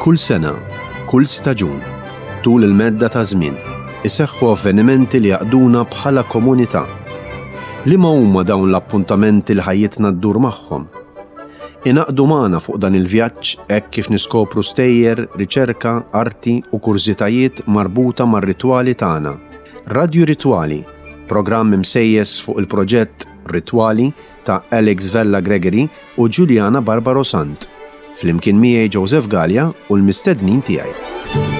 Kull sena, kull staġun, tul il-medda ta' żmien, iseħħu avvenimenti li jgħaqqduna bħala komunità. Liema huma dawn l-appuntamenti li ħajjitna ddur magħhom? Ingħaqdu magħna fuq dan il-vjaġġ hekk kif niskopru stejjer, riċerka, arti u kurżitajiet marbuta mar-ritwali tagħna. Radju Ritwali, programm imsejjes fuq il-proġett Ritwali ta' Alex Vella Gregory u Juliana Barbaro Sant. Flimkien miegħi Joseph Galea u l-mistednin tiegħi.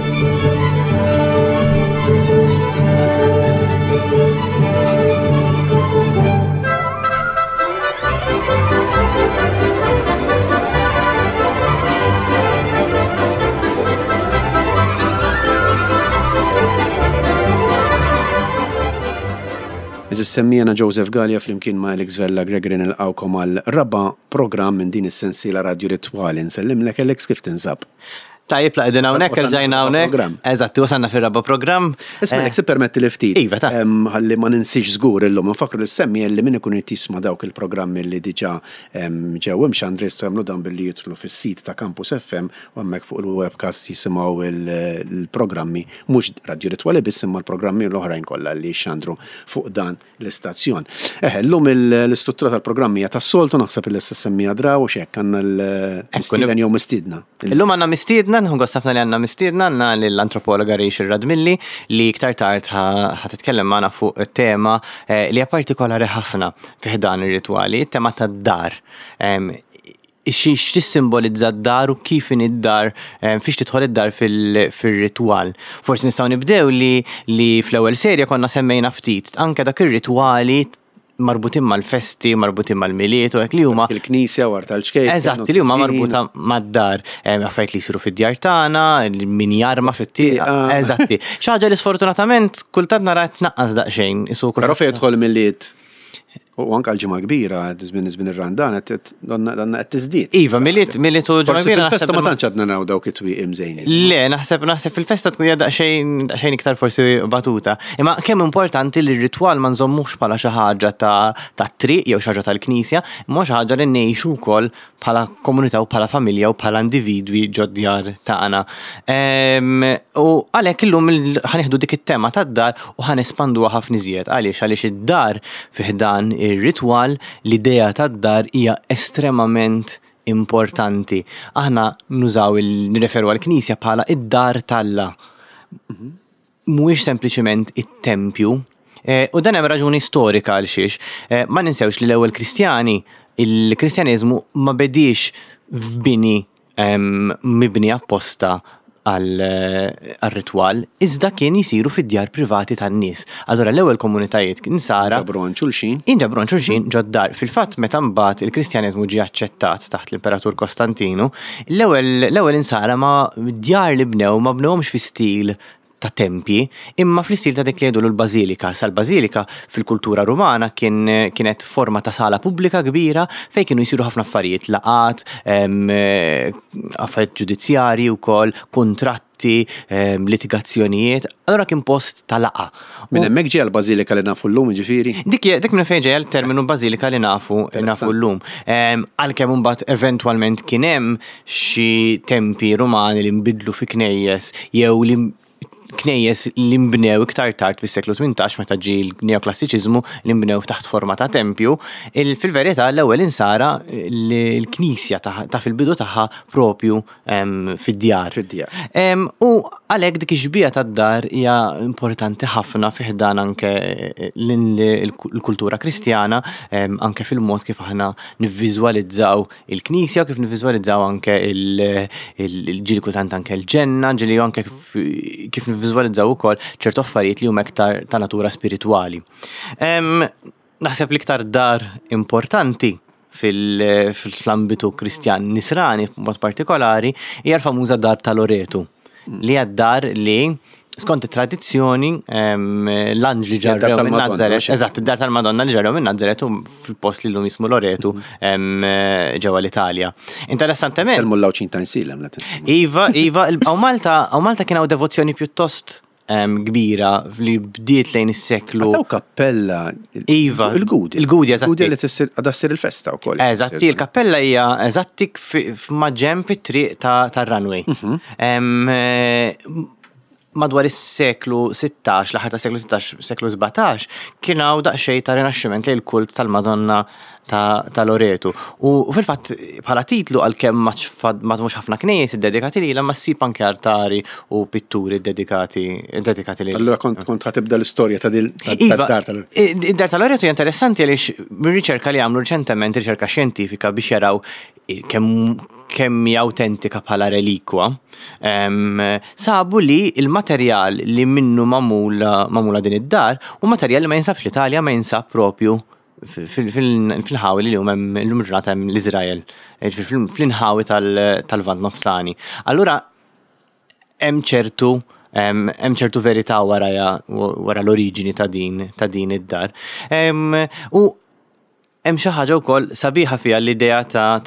Eżis semmijana Joseph Galea flimkien ma' Alex Vella Gregory nilqawkom għal raba' programm minn din is-sensiela Radio Ritwali. Nsellimlek Alex kif tinsab? Tajjeb la qegħdin hawnhekk erġajna hawnhekk. Eżatt, wasalna fir-raba' programm. Isma' jekk tippermetti li ftit. Iva, ta. Ħalli ma ninsiex żgur illum infakkru lis-semmi li min ikun irid jisma' dawk il-programmi li diġà ġew imxandra jistgħu jagħmlu dan billi jidħlu fis-sit ta' Campus FM u hemmhekk fuq il-webcast jisimgħu l-programmi mhux Radju Ritwali biss imma l-programmi l-oħrajn kollha li jixxandru fuq dan l-istazzjon. Eħe, llum l-istruttura tal-programm hija tas-soltu, naħseb li issa semmija draw u x'hekk għandna l-mistieden jew mistiedna. Illum għandna mistiedna, nieħu gost ħafna li għandna mistiedna, għandna lill-antropologa Rachel Radmilli li iktar tard ħa titkellem magħna fuq tema eh, li hija partikolari ħafna fi ħdan ir-ritwali, it-tema tad-dar x'tissimbolizza d-dar u kif inhi d-dar, eh, fiex tidħol id-dar fil-ritwal. Forsi nistgħu nibdew li li fl-ewwel serja konna semmejna ftit anke dak ir-ritwali marbutin mal-festi, marbutin mal-miliet u hekk li huma. Il-knisja u tal-ċkejken. Eżatt, li huma marbuta mad-dar, eh, affarijiet li jsiru fid-djar tagħna, min jarma fit-tieqa. Eżatti. Xi ħaġa li sfortunatament kultant nara tnaqqas daqsxejn. Però fejn jidħol miliet U anke l-Ġimgħa Kbira, żmien żmien ir-Randan qed donna qed tiżdied. Iva, Milied Milied u Ġimgħa Kbira. Fil-festa ma tantx għadna naraw dawk it-twieqi mżejnin. Le, naħseb naħseb fil-festa tkun hija daqsxejn daqsxejn iktar forsi batuta. Imma kemm importanti li r-ritwal ma nżommux bħala xi ħaġa ta' triq jew xi ħaġa tal-knisja, imma xi ħaġa li ngħixu wkoll bħala komunità u bħala familja u bħala individwi ġod-djar tagħna. Ehm, u għalhekk illum ħanieħdu dik it-tema tad-dar u ħanespanduha ħafna iżjed. Għaliex għaliex id-dar fi ħdan ir-ritwal, l-idea tad-dar hija estremament importanti. Aħna nużaw nirreferu għall-Knisja bħala id-dar t'Alla. Mhm. mhuwiex sempliċement it-tempju. Eh, u dan hemm raġuni storika għal xiex. Eh, ma ninsewx li l-ewwel Kristjani, il-Kristjaneżmu ma bediex f'bini mibni apposta għal-ritwal, iżda kien jisiru fid-djar privati tan-nies. Allura l-ewwel komunitajiet insara. Inġabru għand xulxin. Inġabru għand xulxin ġod-dar. Fil-fatt meta mbagħad il-Kristjaneżmu ġie aċċettat taħt l-Imperatur Kostantinu, l-ewwel l-ewwel insara ma djar li bnew ma bnewhomx fi stil ta' tempji, imma fl-istil ta' dik li jgħidulu l-bażilika. Issa l-bażilika fil-kultura Rumana kien kienet forma ta' sala pubblika kbira fejn kienu jsiru ħafna affarijiet, laqgħat, affarijiet ġudizzjarji wkoll, kuntratti, litigazzjonijiet. Allura kien post ta' laqgħa. Minn hemmhekk ġejja l-bażilika li nafu llum, jiġifieri? Dik dik minn fejn ġejja l-terminu bażilika li nafu nafu llum. Għalkemm imbagħad eventwalment kien hemm xi tempji Rumani li nbidlu fi knejjes jew li knejjes li nbnew iktar tard fis-seklu 18 meta ġie l-neoklassiċiżmu li nbnew taħt forma ta' tempju, fil-verità l-ewwel insara l-knisja ta' fil-bidu tagħha propju fid-djar. Fid-djar. U għalhekk dik ix-xbieha tad-dar hija importanti ħafna fi ħdan anke l-kultura Kristjana, anke fil-mod kif aħna nivviżwalizzaw il-knisja u kif nivviżwalizzaw anke il-ġieli kultant anke l-ġenna, ġieli anke kif nivviżwalizzaw ukoll ċertu affarijiet li huma iktar ta' natura spiritwali. Naħseb l-iktar dar importanti fl-ambitu Kristjan Nisrani b'mod partikolari hija l-famuża dar ta' Loretu li hija d-dar li skont it-tradizzjoni l-anġli ġarrew minn Nazaret, eżatt, id-dar tal-Madonna li ġarrew minn Nazaret u fil-post li llum jismu Loretu ġewwa l-Italja. Interessantement. Sellmu l-Għawdxin ta' Insilem la Iva, iva, hawn Malta, hawn Malta kien hawn devozzjoni pjuttost. kbira li bdiet lejn is-seklu. Għad hawn kappella. Iva. Il-Gudja. Il-Gudja, eżatti. Il-Gudja li tissir għadha ssir il-festa wkoll. Eżatti, il-kappella hija eżatti f'maġenb it-triq tar-runway. Madwar is-seklu 16, l-aħħar tas-seklu 16, seklu 17, kien hawn daqsxejn ta' rinaxximent lejn il-kult tal-Madonna ta' Loretu. U fil-fatt bħala titlu għalkemm ma mhux ħafna knejjes iddedikati lilha ma ssib anke altari u pitturi ddedikati dedikati lilha. Allura kont kont tibda l-istorja ta' dil iva, dar tal Id-dar ta' Loretu hija interessanti għaliex mir-riċerka li għamlu riċentement, riċerka xjentifika biex jaraw kemm kemm hija awtentika bħala relikwa, sabu li l-materjal li minnu magħmula din id-dar hu materjal li ma jinsabx l-Italja ma jinsab propju fil-inħawi li llum hemm illum il-ġurnata hemm l-Iżrael, jiġifieri fl-inħawi tal-Lvant Nofsani. Allura hemm ċertu hemm ċertu verità warajha wara l-oriġini ta' din ta' din id-dar. U hemm xi ħaġa wkoll sabiħa fiha l-idea ta'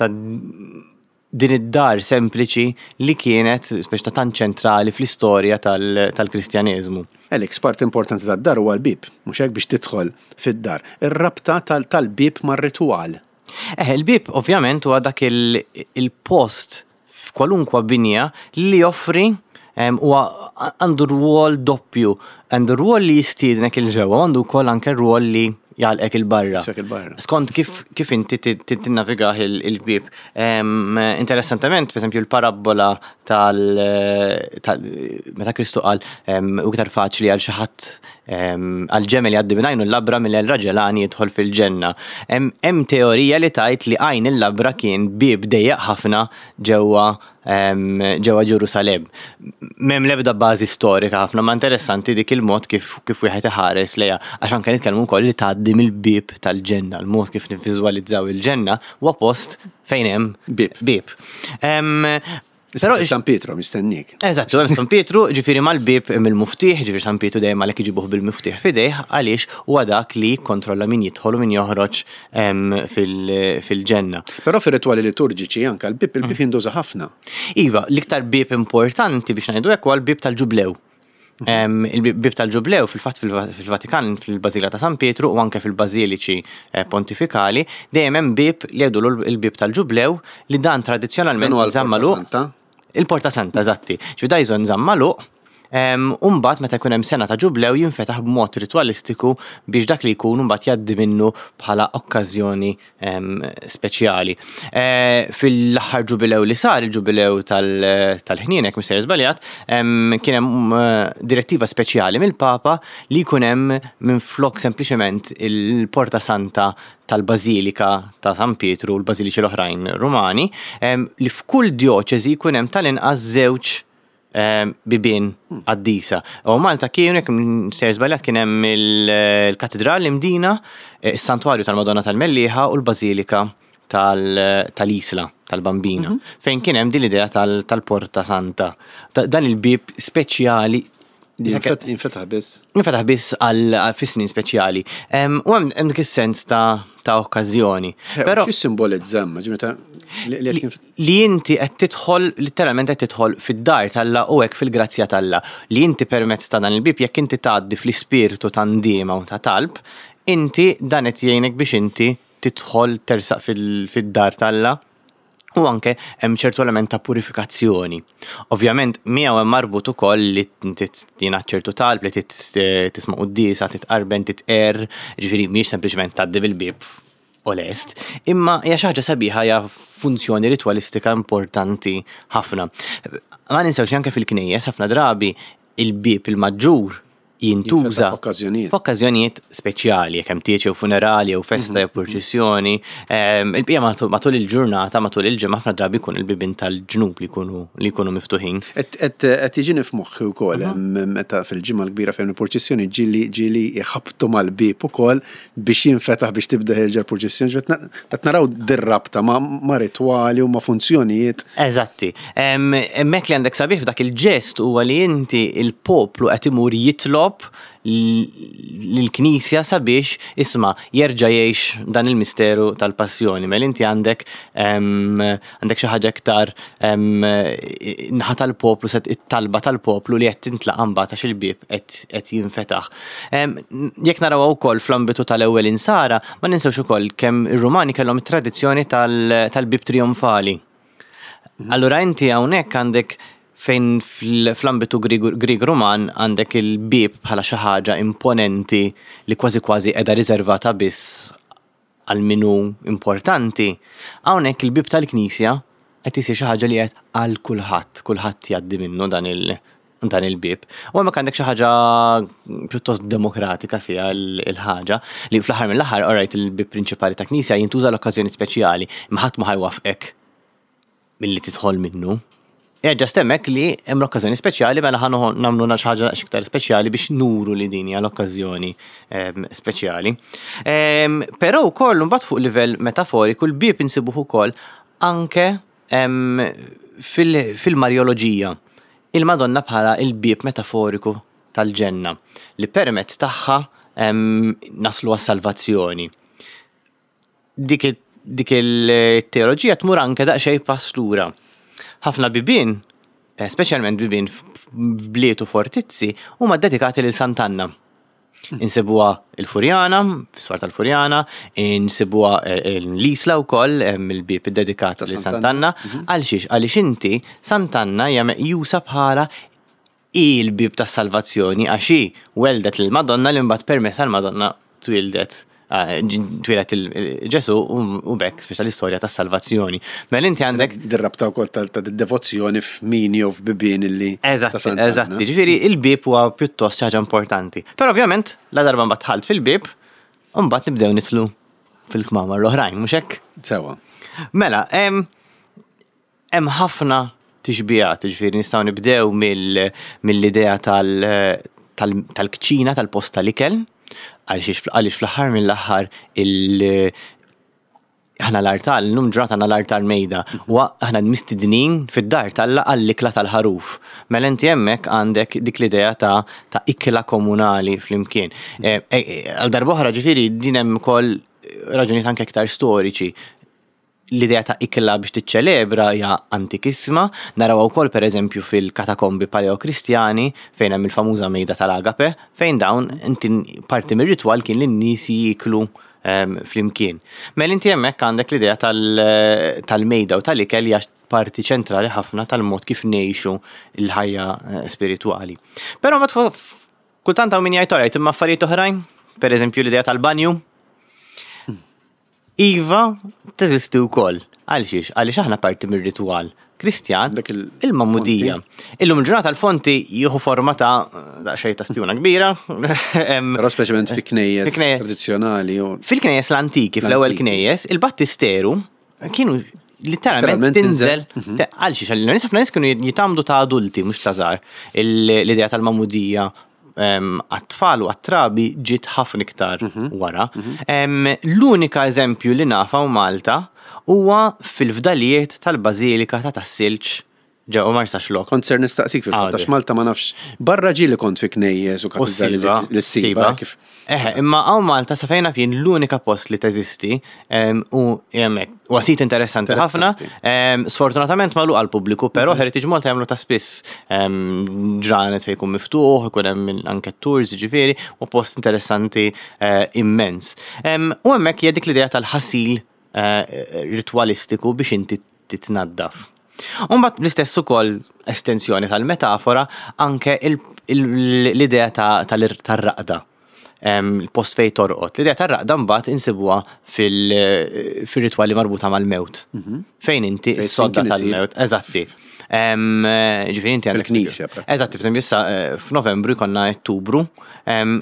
din id-dar sempliċi li kienet speċi ta' tant ċentrali fl-istorja tal-Kristjaneżmu. Alex, parti importanti tad-dar huwa l-bieb, mhux hekk biex tidħol fid-dar. Ir-rabta tal-bieb mar-ritwal. Eh, il-bieb ovvjament huwa dak il-post f'kwalunkwa binja li joffri huwa għandu rwol doppju, għandu rwol li jistiednek 'il ġewwa u għandu wkoll anke rwol li jagħlqek 'il barra. Skont kif kif inti tinnavigah il-bieb. Interessantement, pereżempju l-parabbola tal meta Kristu qal hu iktar faċli għal xi ħadd għal ġemel jgħaddi minn għajnu l-labra milli għal raġel għani jidħol fil-ġenna. Hemm teorija li tgħid li għajn il-labra kien bieb dejjaq ħafna ġewwa ġewwa Ġerusalemm. M'hemm l-ebda bażi storika ħafna, ma interessanti dik il-mod kif kif wieħed iħares lejha għax anke nitkellmu wkoll li tgħaddi mill-bieb tal-ġenna, l-mod kif nivviżwalizzaw il-ġenna huwa post fejn hemm bieb. Bieb. Però San Pietro mistennik. Eżatt, hemm San Pietru, ġifieri mal-bieb hemm il-muftieħ, ġifieri San Pietru dejjem għalhekk iġibuh bil-muftieħ f'idejh għaliex huwa dak li jikkontrolla min jidħol u min joħroġ fil-ġenna. Però fir-ritwali liturġiċi anke l-bieb il-bieb jintuża ħafna. Iva, l-iktar bieb importanti biex ngħidu hekk huwa l-bieb tal-Ġublew. Il-bieb tal-Ġublew fil-fatt fil-Vatikan, fil-Bażilika ta' San Pietru u anke fil-bażiliċi eh, pontifikali, dejjem hemm bieb li jgħidulu l-bieb tal-Ġublew li dan tradizzjonalment nżamm magħluq. Il-Porta Santa, eżatti. Ġifieri da jżon nżamm magħluq u mbagħad meta jkun hemm sena ta' ġublew jinfetaħ b'mod ritwalistiku biex dak li jkun mbagħad jgħaddi minnu bħala okkażjoni speċjali. Eh, fil-aħħar ġubilew li sar, il-ġubilew tal-ħnien, jekk mhux żbaljat, kien hemm eh, direttiva speċjali mill-Papa li jkun hemm minflok sempliċement il-Porta Santa tal-Bażilika ta' San Pietru u l-bażiliċi l-oħrajn Rumani, li f'kull djoċesi jkun hemm tal-inqas żewġ bibien qaddisa. U Malta kienu, jekk sejjer żbaljat, kien hemm il-Katidral l-Imdina, is-Santwarju tal-Madonna tal-Mellieħa u l-Bażilika tal-Isla, tal-Bambina, fejn kien hemm din l-idea tal-Porta Santa. Dan il-bieb speċjali Jinfetaħ biss. Jinfetaħ biss għal fi snin speċjali. U hemm dik is-sens ta' okkażjoni. Eh, Però x'simbolizza ġimeta li inti qed tidħol litteralment qed tidħol fid-dar t'Alla u hekk fil-grazzja t'Alla. Li inti permezz ta' dan il-bieb jekk inti tgħaddi fl-ispirtu ta' ndiema u ta' talb, inti dan qed jgħinek biex inti tidħol tersaq fid-dar t'Alla u anke hemm ċertu element ta' purifikazzjoni. Ovvjament miegħu hemm marbut ukoll li jingħad ċertu talb li tisma' quddiesa, titqarben, titqerr, ġifieri mhijiex sempliċement tgħaddi bil-bieb u lest, imma hija xi ħaġa sabiħa hija funzjoni ritwalistika importanti ħafna. Ma ninsewx anke fil-knejjes ħafna drabi il-bieb il-maġġur jintuża f'okkażjonijiet speċjali, jekk hemm tieġ jew funerali jew festa jew purċissjoni. Ehm, il-bqija matul il-ġurnata, matul il-ġimgħa ħafna drabi jkun il-bibien tal-ġnub li jkunu li jkunu miftuħin. Qed jiġini f'moħħi wkoll meta fil-ġimgħa l-kbira fejn il-purċissjoni ġieli ġieli jħabbtu mal-bieb ukoll biex jinfetaħ biex tibda ħierġa l-purċissjoni, ġifieri qed naraw dir-rabta ma' ritwali u ma' funzjonijiet. Eżatti. Hemmhekk li għandek sabiħ f'dak il-ġest huwa li inti il-poplu qed imur jitlob. jitlob lill-Knisja sabiex isma' jerġa' jgħix dan il-misteru tal-passjoni. Mela inti għandek għandek xi ħaġa iktar naħa tal-poplu set it-talba tal-poplu li qed tintlaqa' mbagħad għax il-bieb qed jinfetaħ. Jekk narawha wkoll fl-ambitu tal-ewwel insara, ma ninsewx ukoll kemm ir-Rumani kellhom it-tradizzjoni tal-bieb trijonfali. Allura inti hawnhekk għandek fejn fl-ambitu Grieg Ruman għandek il-bieb bħala xi ħaġa imponenti li kważi kważi qiegħda riservata biss għal min hu importanti, hawnhekk il-bieb tal-knisja qed isir xi ħaġa li qed għal kulħadd, kulħadd jgħaddi minnu dan il dan il-bieb. U hemmhekk għandek xi ħaġa pjuttost demokratika fiha l-ħaġa li fl-aħħar mill-aħħar alright il-bieb prinċipali ta' knisja jintuża l-okkażjoni speċjali, imma ħadd ma ħajwaffqek milli tidħol minnu. Hija ġast hemmhekk li hemm l-okkażjoni speċjali mela ħa nagħmlu xi ħaġa iktar speċjali biex nuru li din hija l-okkażjoni ehm, speċjali. Ehm, però wkoll mbagħad fuq livell metaforiku l-bieb insibuh ukoll anke ehm, fil-Marjoloġija. Il-Madonna bħala il-bieb metaforiku tal-ġenna li permezz tagħha naslu għas-salvazzjoni. Dik dik il-teoloġija tmur anke daqsxejn pass lura. Ħafna bibien, eh, speċjalment bibien f'bliet u fortizzi, huma dedikati lil Sant'Anna. Insibuha il-Furjana, fis-swar tal-Furjana, insibuha eh, l-Isla wkoll hemm il-bieb iddedikat lil Sant'Anna. Mhm. Għal xiex? Għaliex inti Sant'Anna hija meqjusa bħala hi l-bieb tas-salvazzjoni għax hi welldet lill-Madonna li mbagħad permezz tal-Madonna twieldet twieled Ġesù u b'hekk spiċċa l-istorja tas-salvazzjoni. Mela inti għandek. Dir-rabta wkoll ta' devozzjoni f'mini jew f'bibien illi. Eżatt, eżatt. Ġifieri il-bieb huwa pjuttost xi ħaġa importanti. Però ovvjament, la darba mbagħad dħalt fil-bieb, mbagħad nibdew nidħlu fil-kmamar l-oħrajn, mhux hekk? Sewwa. Mela, Hemm ħafna tixbihat, jiġifieri nistgħu nibdew mill-idea tal-kċina, tal-post tal-ikel, għaliex fl-aħħar mill-aħħar aħna l-artal, illum ġurnata għandna l-artal mejda, u aħna mistednin fid-dar t'Alla għall-ikla tal-ħaruf. Mela inti hemmhekk għandek dik l-idea ta' ikla komunali flimkien. Għal darb'oħra ġifieri din hemm ukoll raġunijiet anke iktar storiċi. L-idea ta' ikla biex tiċċelebra hija antikissima, narawha wkoll pereżempju fil-katakombi Paleokristjani fejn hemm il-famuża mejda tal-agape, fejn dawn inti parti mir-ritwal kien li n-nies jieklu flimkien. Mela inti hemmhekk għandek l-idea tal-mejda u tal-ikel hija parti ċentrali ħafna tal-mod kif ngħixu l-ħajja spiritwali. Però mbagħad kultant hawn min jgħid alright imma affarijiet oħrajn, pereżempju l-idea tal-banju. Iva, teżisti wkoll. Għalxiex? Għaliex aħna parti mir-ritwal Kristjan, il-magħmudija. Illum il-ġurnata l-fonti jieħu forma ta' daqsxejn ta' stjuna kbira. Però speċjalment fi knejjes tradizzjonali. Fil-knejjes l-antiki, fl-ewwel knejjes, il-battisteru kienu literalment tinżel mhm. għal xiex għal nies ħafna nies kienu jitamdu ta' adulti mhux ta' żgħar. L-idea tal-magħmudija għat-tfal u għat-trabi ġiet ħafna iktar mhm. wara. Mhm. L-unika eżempju li nafa u Malta huwa fil-fdalijiet tal-Bażilika ta' Tas-Silġ ġewwa Marsaxlokk. Kont ser nistaqsik fil-fatt għax Malta ma nafx. Barra ġieli kont fi knejjes u katedrali li ssiba kif. Eħe, imma hawn Malta sa fejn naf jien l-unika post li teżisti u hemmhekk. Huwa sit interessanti ħafna. Sfortunatament magħluq għall-pubbliku, però Heritage Malta jagħmlu ta' spiss ġranet fejn jkun miftuħ, ikun hemm anke tours jiġifieri, u post interessanti immens. U hemmhekk hija dik l-idea tal-ħasil ritwalistiku biex inti titnaddaf. U mbagħad bl-istess ukoll estensjoni tal-metafora anke l-idea tar-raqda. Il-post fejn torqod. L-idea tar-raqda mbagħad insibuha fil-ritwali marbuta mal-mewt. Mhm. Fejn inti s-sodda tal-mewt. Eżatti. Ġifieri inti għandek. Fil-knisja. Eżatti, per issa eh, f'Novembru jkollna Ottubru.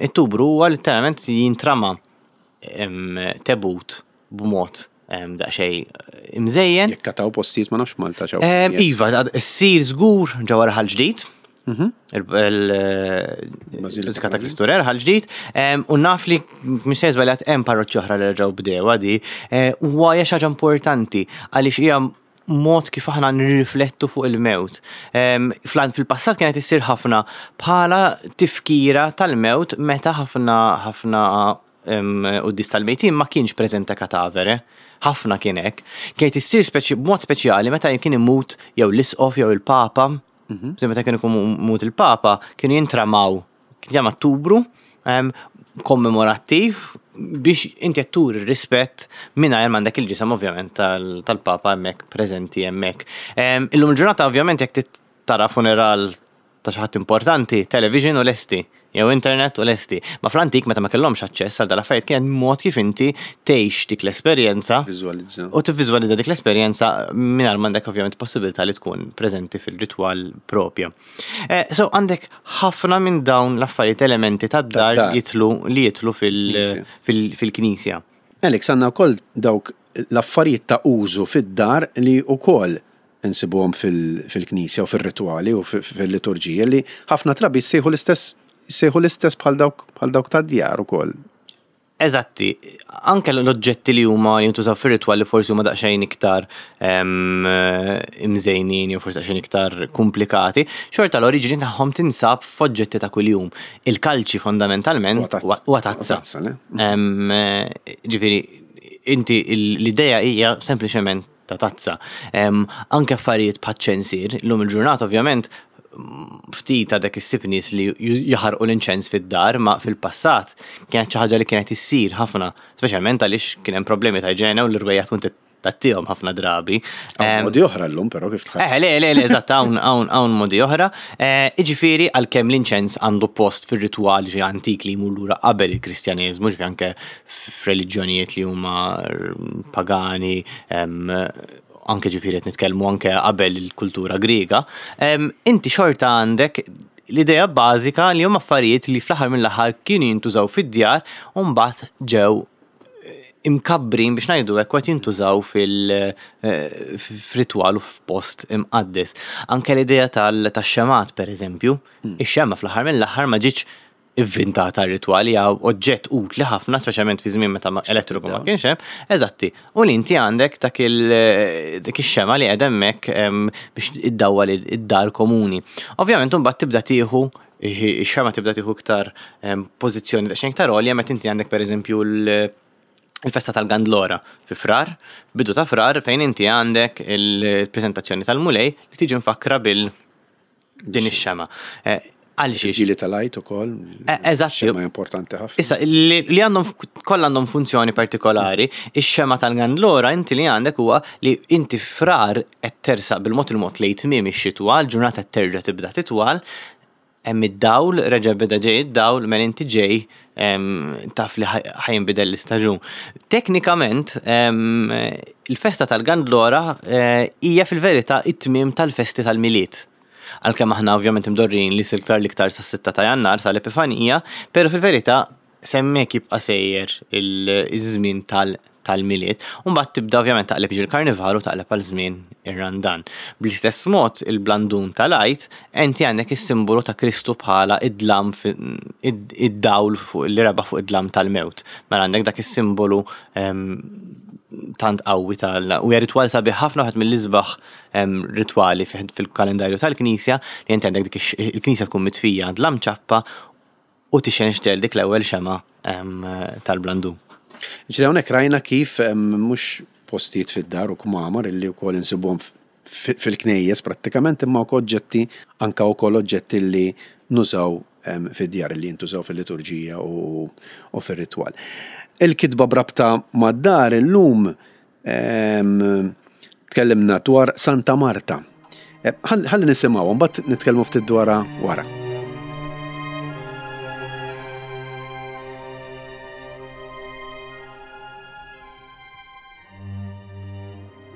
Ottubru huwa letteralment jintrama tebut b'mod daqsxejn imżejjen. Jekk taw postijiet ma nafx Malta ċaw. Iva, ssir żgur ġewwa Raħal Ġdid. Mhm. Il-Bażilika ta' Kristu Re Raħal Ġdid. U naf li mhux se żbaljat hemm parroċċi oħra li reġgħu bdewha di. Eh, huwa hija xi ħaġa importanti għaliex hija mod kif aħna nirriflettu fuq il-mewt. Fil-passat kienet issir ħafna bħala tifkira tal-mewt meta ħafna ħafna quddies tal-mejtin ma kienx preżenta katavere. Ħafna kien hekk. Kienet issir b'mod speċjali meta kien imut jew l-isqof jew il-papa. Mhm. Meta kien ikun imut il-papa, kienu jintramaw kien jagħmel tubru kommemorattiv biex inti qed turi rispett mingħajr m'għandek il-ġisem ovvjament tal-Papa hemmhekk preżenti hemmhekk. Illum il-ġurnata ovvjament jekk tara funeral ta' xi ħadd importanti, television u lesti, jew internet u lesti. Ma fl-antik meta ma kellhomx aċċess għal dal-affarijiet kien mod kif inti tgħix dik l-esperjenza u tivviżwalizza dik l-esperjenza mingħajr m'għandek ovvjament possibilità li tkun preżenti fil-ritwal propja. Eh, so għandek ħafna minn dawn l-affarijiet elementi tad-dar jitlu li jitlu fil-knisja. Alex, għandna wkoll dawk l-affarijiet ta' użu fid-dar li wkoll insibuhom fil-knisja u fir-ritwali u fil-liturġija li ħafna drabi jsejħu l-istess jsejħu l-istess bħal dawk bħal dawk tad-djar ukoll. Eżatti, anke l-oġġetti li huma jintużaw fir-ritwal li forsi huma daqsxejn iktar imżejnin jew forsi daqsxejn iktar komplikati, xorta l-oriġini tagħhom tinsab f'oġġetti ta' kuljum. Il-kalċi fondamentalment huwa tazza. Ġifieri, inti l-idea hija sempliċement ta' tazza. Anke affarijiet bħaċ-ċensier, illum il-ġurnata ovvjament ftit għadek issib nies li jaħarqu l-inċens fid-dar, ma fil-passat kienet xi ħaġa li kienet issir ħafna, speċjalment għaliex kien hemm problemi ta' iġene u l-irwejjaħ tkun tattihom ħafna drabi. Hawn modi oħra llum però kif tħadd. Eh, le, le, le, eżatt, hawn hawn hawn modi oħra. Eh, Jiġifieri għalkemm l-inċens għandu post fir-ritwal ġi antik li jmur lura qabel il-Kristjaneżmu, ġifieri anke f'reliġjonijiet li huma pagani, anke ġifieri qed nitkellmu anke qabel il-kultura Griega, inti xorta għandek l-idea bażika li huma affarijiet li fl-aħħar mill-aħħar kienu jintużaw fid-djar u mbagħad ġew imkabbrin biex ngħidu hekk qed jintużaw fil-ritwal u f'post imqaddes. Anke l-idea tax-xemgħat pereżempju, ix-xemgħa fl-aħħar mill-aħħar ma ġietx ivvintata r-ritwal hija oġġett utli ħafna, speċjalment fi żmien meta elettriku ma kienx hemm, eżatti. U li inti għandek dak dik ix-xema li qiegħda hemmhekk biex iddawwal id-dar komuni. Ovvjament imbagħad tibda tieħu ix-xema tibda tieħu iktar pożizzjoni daqsxejn iktar għolja meta inti għandek pereżempju il-festa tal-Gandlora fi Frar, bidu ta' Frar fejn inti għandek il-preżentazzjoni tal-Mulej li tiġi mfakkra bil din ix-xema. Eh, għal xiex. Ġili tal-għajt ukoll. Eh, eżatt. Xema importanti ħafna. Issa, li għandhom kollha għandhom funzjoni partikolari, ix-xema tal-gandlora inti li għandek huwa li inti frar qed tersaq bil-mod il-mod lejn tmiem ix-xitwa, l-ġurnata terġa' tibda titwal, hemm id-dawl, reġa' beda ġej id-dawl, mela inti ġej taf li ħa jinbidel l-istaġun. Teknikament, il-festa tal-Gandlora eh, hija fil-verità it-tmiem tal-festi tal-Milied. Għalkemm aħna ovvjament imdorrin li silktar l-iktar sas-6 ta' Jannar sal-Epifanija, pero fil-verità S'hemmhekk jibqa' sejjer iż-żmien tal-Milied. U mbagħad tibda ovvjament taqleb jiġi l-Karnival u taqleb għal żmien ir-Randan. Bl-istess mod il-blandun tal-Għid, inti għandek is-simbolu ta' Kristu bħala id-dlam id-dawl li rebaħ fuq id-dlam tal-mewt. Mela għandek dak is-simbolu tant qawwi tal u hija ritwal sabiħ ħafna wieħed mill-isbaħ ritwali fil-kalendarju tal-Knisja li inti għandek dik il-Knisja tkun mitfija dlam ċappa u tixenxtel dik l-ewwel xemgħa tal-blandun. Ġifieri hawnhekk rajna kif mhux postijiet fid-dar u kmamar illi wkoll insibuhom fil-knejjes prattikament imma wkoll oġġetti anke wkoll oġġetti li nużaw fid-djar li jintużaw fil-liturġija u fir-ritwal. Il-kitba b'rabta mad-dar illum Tkellimna dwar Santa Marta. Eh, ħalli nisimgħu, mbagħad nitkellmu ftit dwarha wara.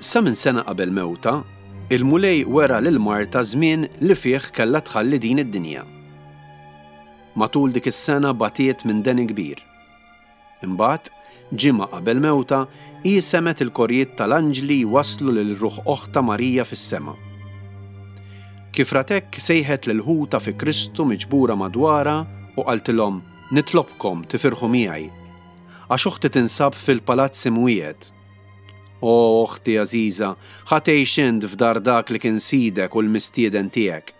Sa minn sena qabel mewta, il-Mulej wera lil Marta żmien li fih kellha tħalli din id-dinja. Matul dik is-sena batiet minn deni kbir. Imbagħad, ġimgħa qabel mewtha, hi semgħet il-korijiet tal-anġli jwasslu lil ruħ oħtha Marija fis-sema. Kif rat hekk sejħet lil ħutha fi Kristu miġbura madwarha u qaltilhom, Nitlobkom tifirħu miegħi, għax oħti tinsab fil-palazz imwiegħed. O oħti għażiża, ħa tgħix int f'dar dak li kien sidek u l-mistieden tiegħek.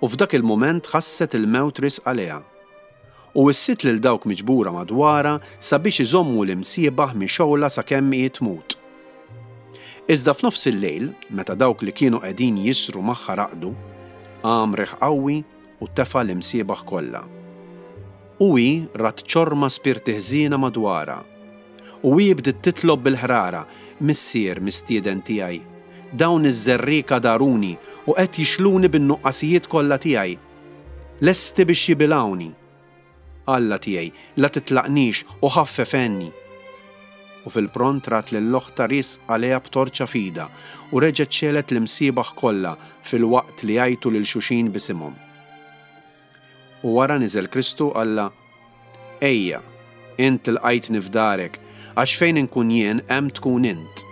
U f'dak il-mument ħasset il-mewt riesqa lejha. U wissiet lil dawk miġbura madwarha sabiex iżommu l-imsiebaħ mixgħula sakemm hi tmut. Iżda f'nofs il-lejl, meta dawk li kienu qegħdin jisru magħha raqdu, qam riħ qawwi u tefa' l-imsiebaħ kollha. U hi rat ċorma spirti ħżiena madwarha. U hi bdiet titlob bil-ħrara, Missier, mistieden tiegħi, dawn iż-żerriegħa daruni u qed jixluni bin-nuqqasijiet kollha tiegħi. Lesti biex jibilgħuni. Alla tiegħi, la titlaqnix u ħaffef għenni. U fil-pront rat lil oħtha riesqa lejha b'torċa f'idha u reġgħet xegħlet l-imsiebaħ kollha filwaqt li għajtu lil xuxin b'isimhom. U wara niżel Kristu u qallha, Ejja, int ilqajtni f'darek, għax fejn inkun jien hemm tkun int.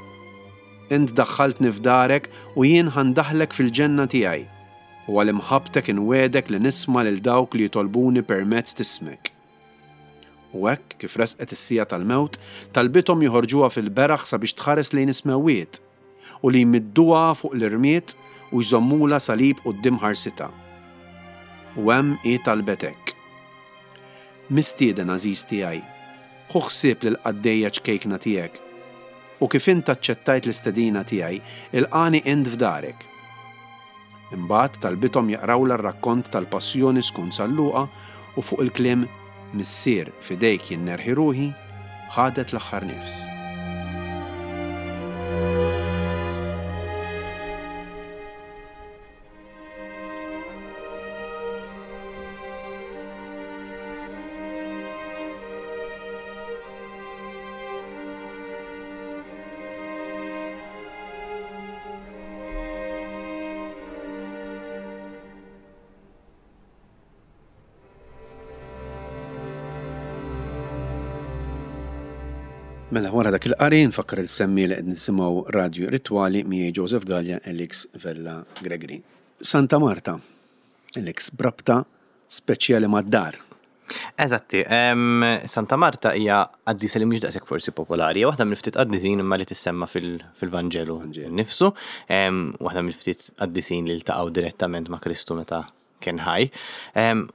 Int daħħaltni f'darek u jien ħa ndaħħlek fil-ġenna tiegħi, u għal imħabbtek inwiegħdek li nisma' lil dawk li jitolbuni permezz t'ismek. U hekk, kif resqet is-siegħa tal-mewt, talbithom joħorġuha fil-beraħ sabiex tħares lejn is-smewwiet, u li jmidduha fuq l-irmied u jżommulha salib quddiem ħarsitha. U hemm hi talbet hekk, Mistieden għażiż tiegħi, ħu ħsieb lill-qaddejja ċkejkna tiegħek, u kif int aċċettajt l-istedina tiegħi, ilqagħni int f'darek. Imbagħad talbithom jaqrawlha r-rakkont tal-Passjoni skont San Luqa u fuq il-kliem Missier, f'idejk jien nerħi ruħi, ħadet l-aħħar nifs. Mela wara dak il-qari nfakkar il-semmi li qed nisimgħu Radju Ritwali miegħi Joseph Galea Alex Vella Gregory. Santa Marta, Alex, b'rabta speċjali mad-dar. Eżatti, Santa Marta hija qaddisa li mhix daqshekk forsi popolari, hija waħda mill-ftit qaddisin imma li tissemma fil-Vanġelu nnifsu, waħda mill-ftit qaddisin li ltaqgħu direttament ma' Kristu meta kien ħaj.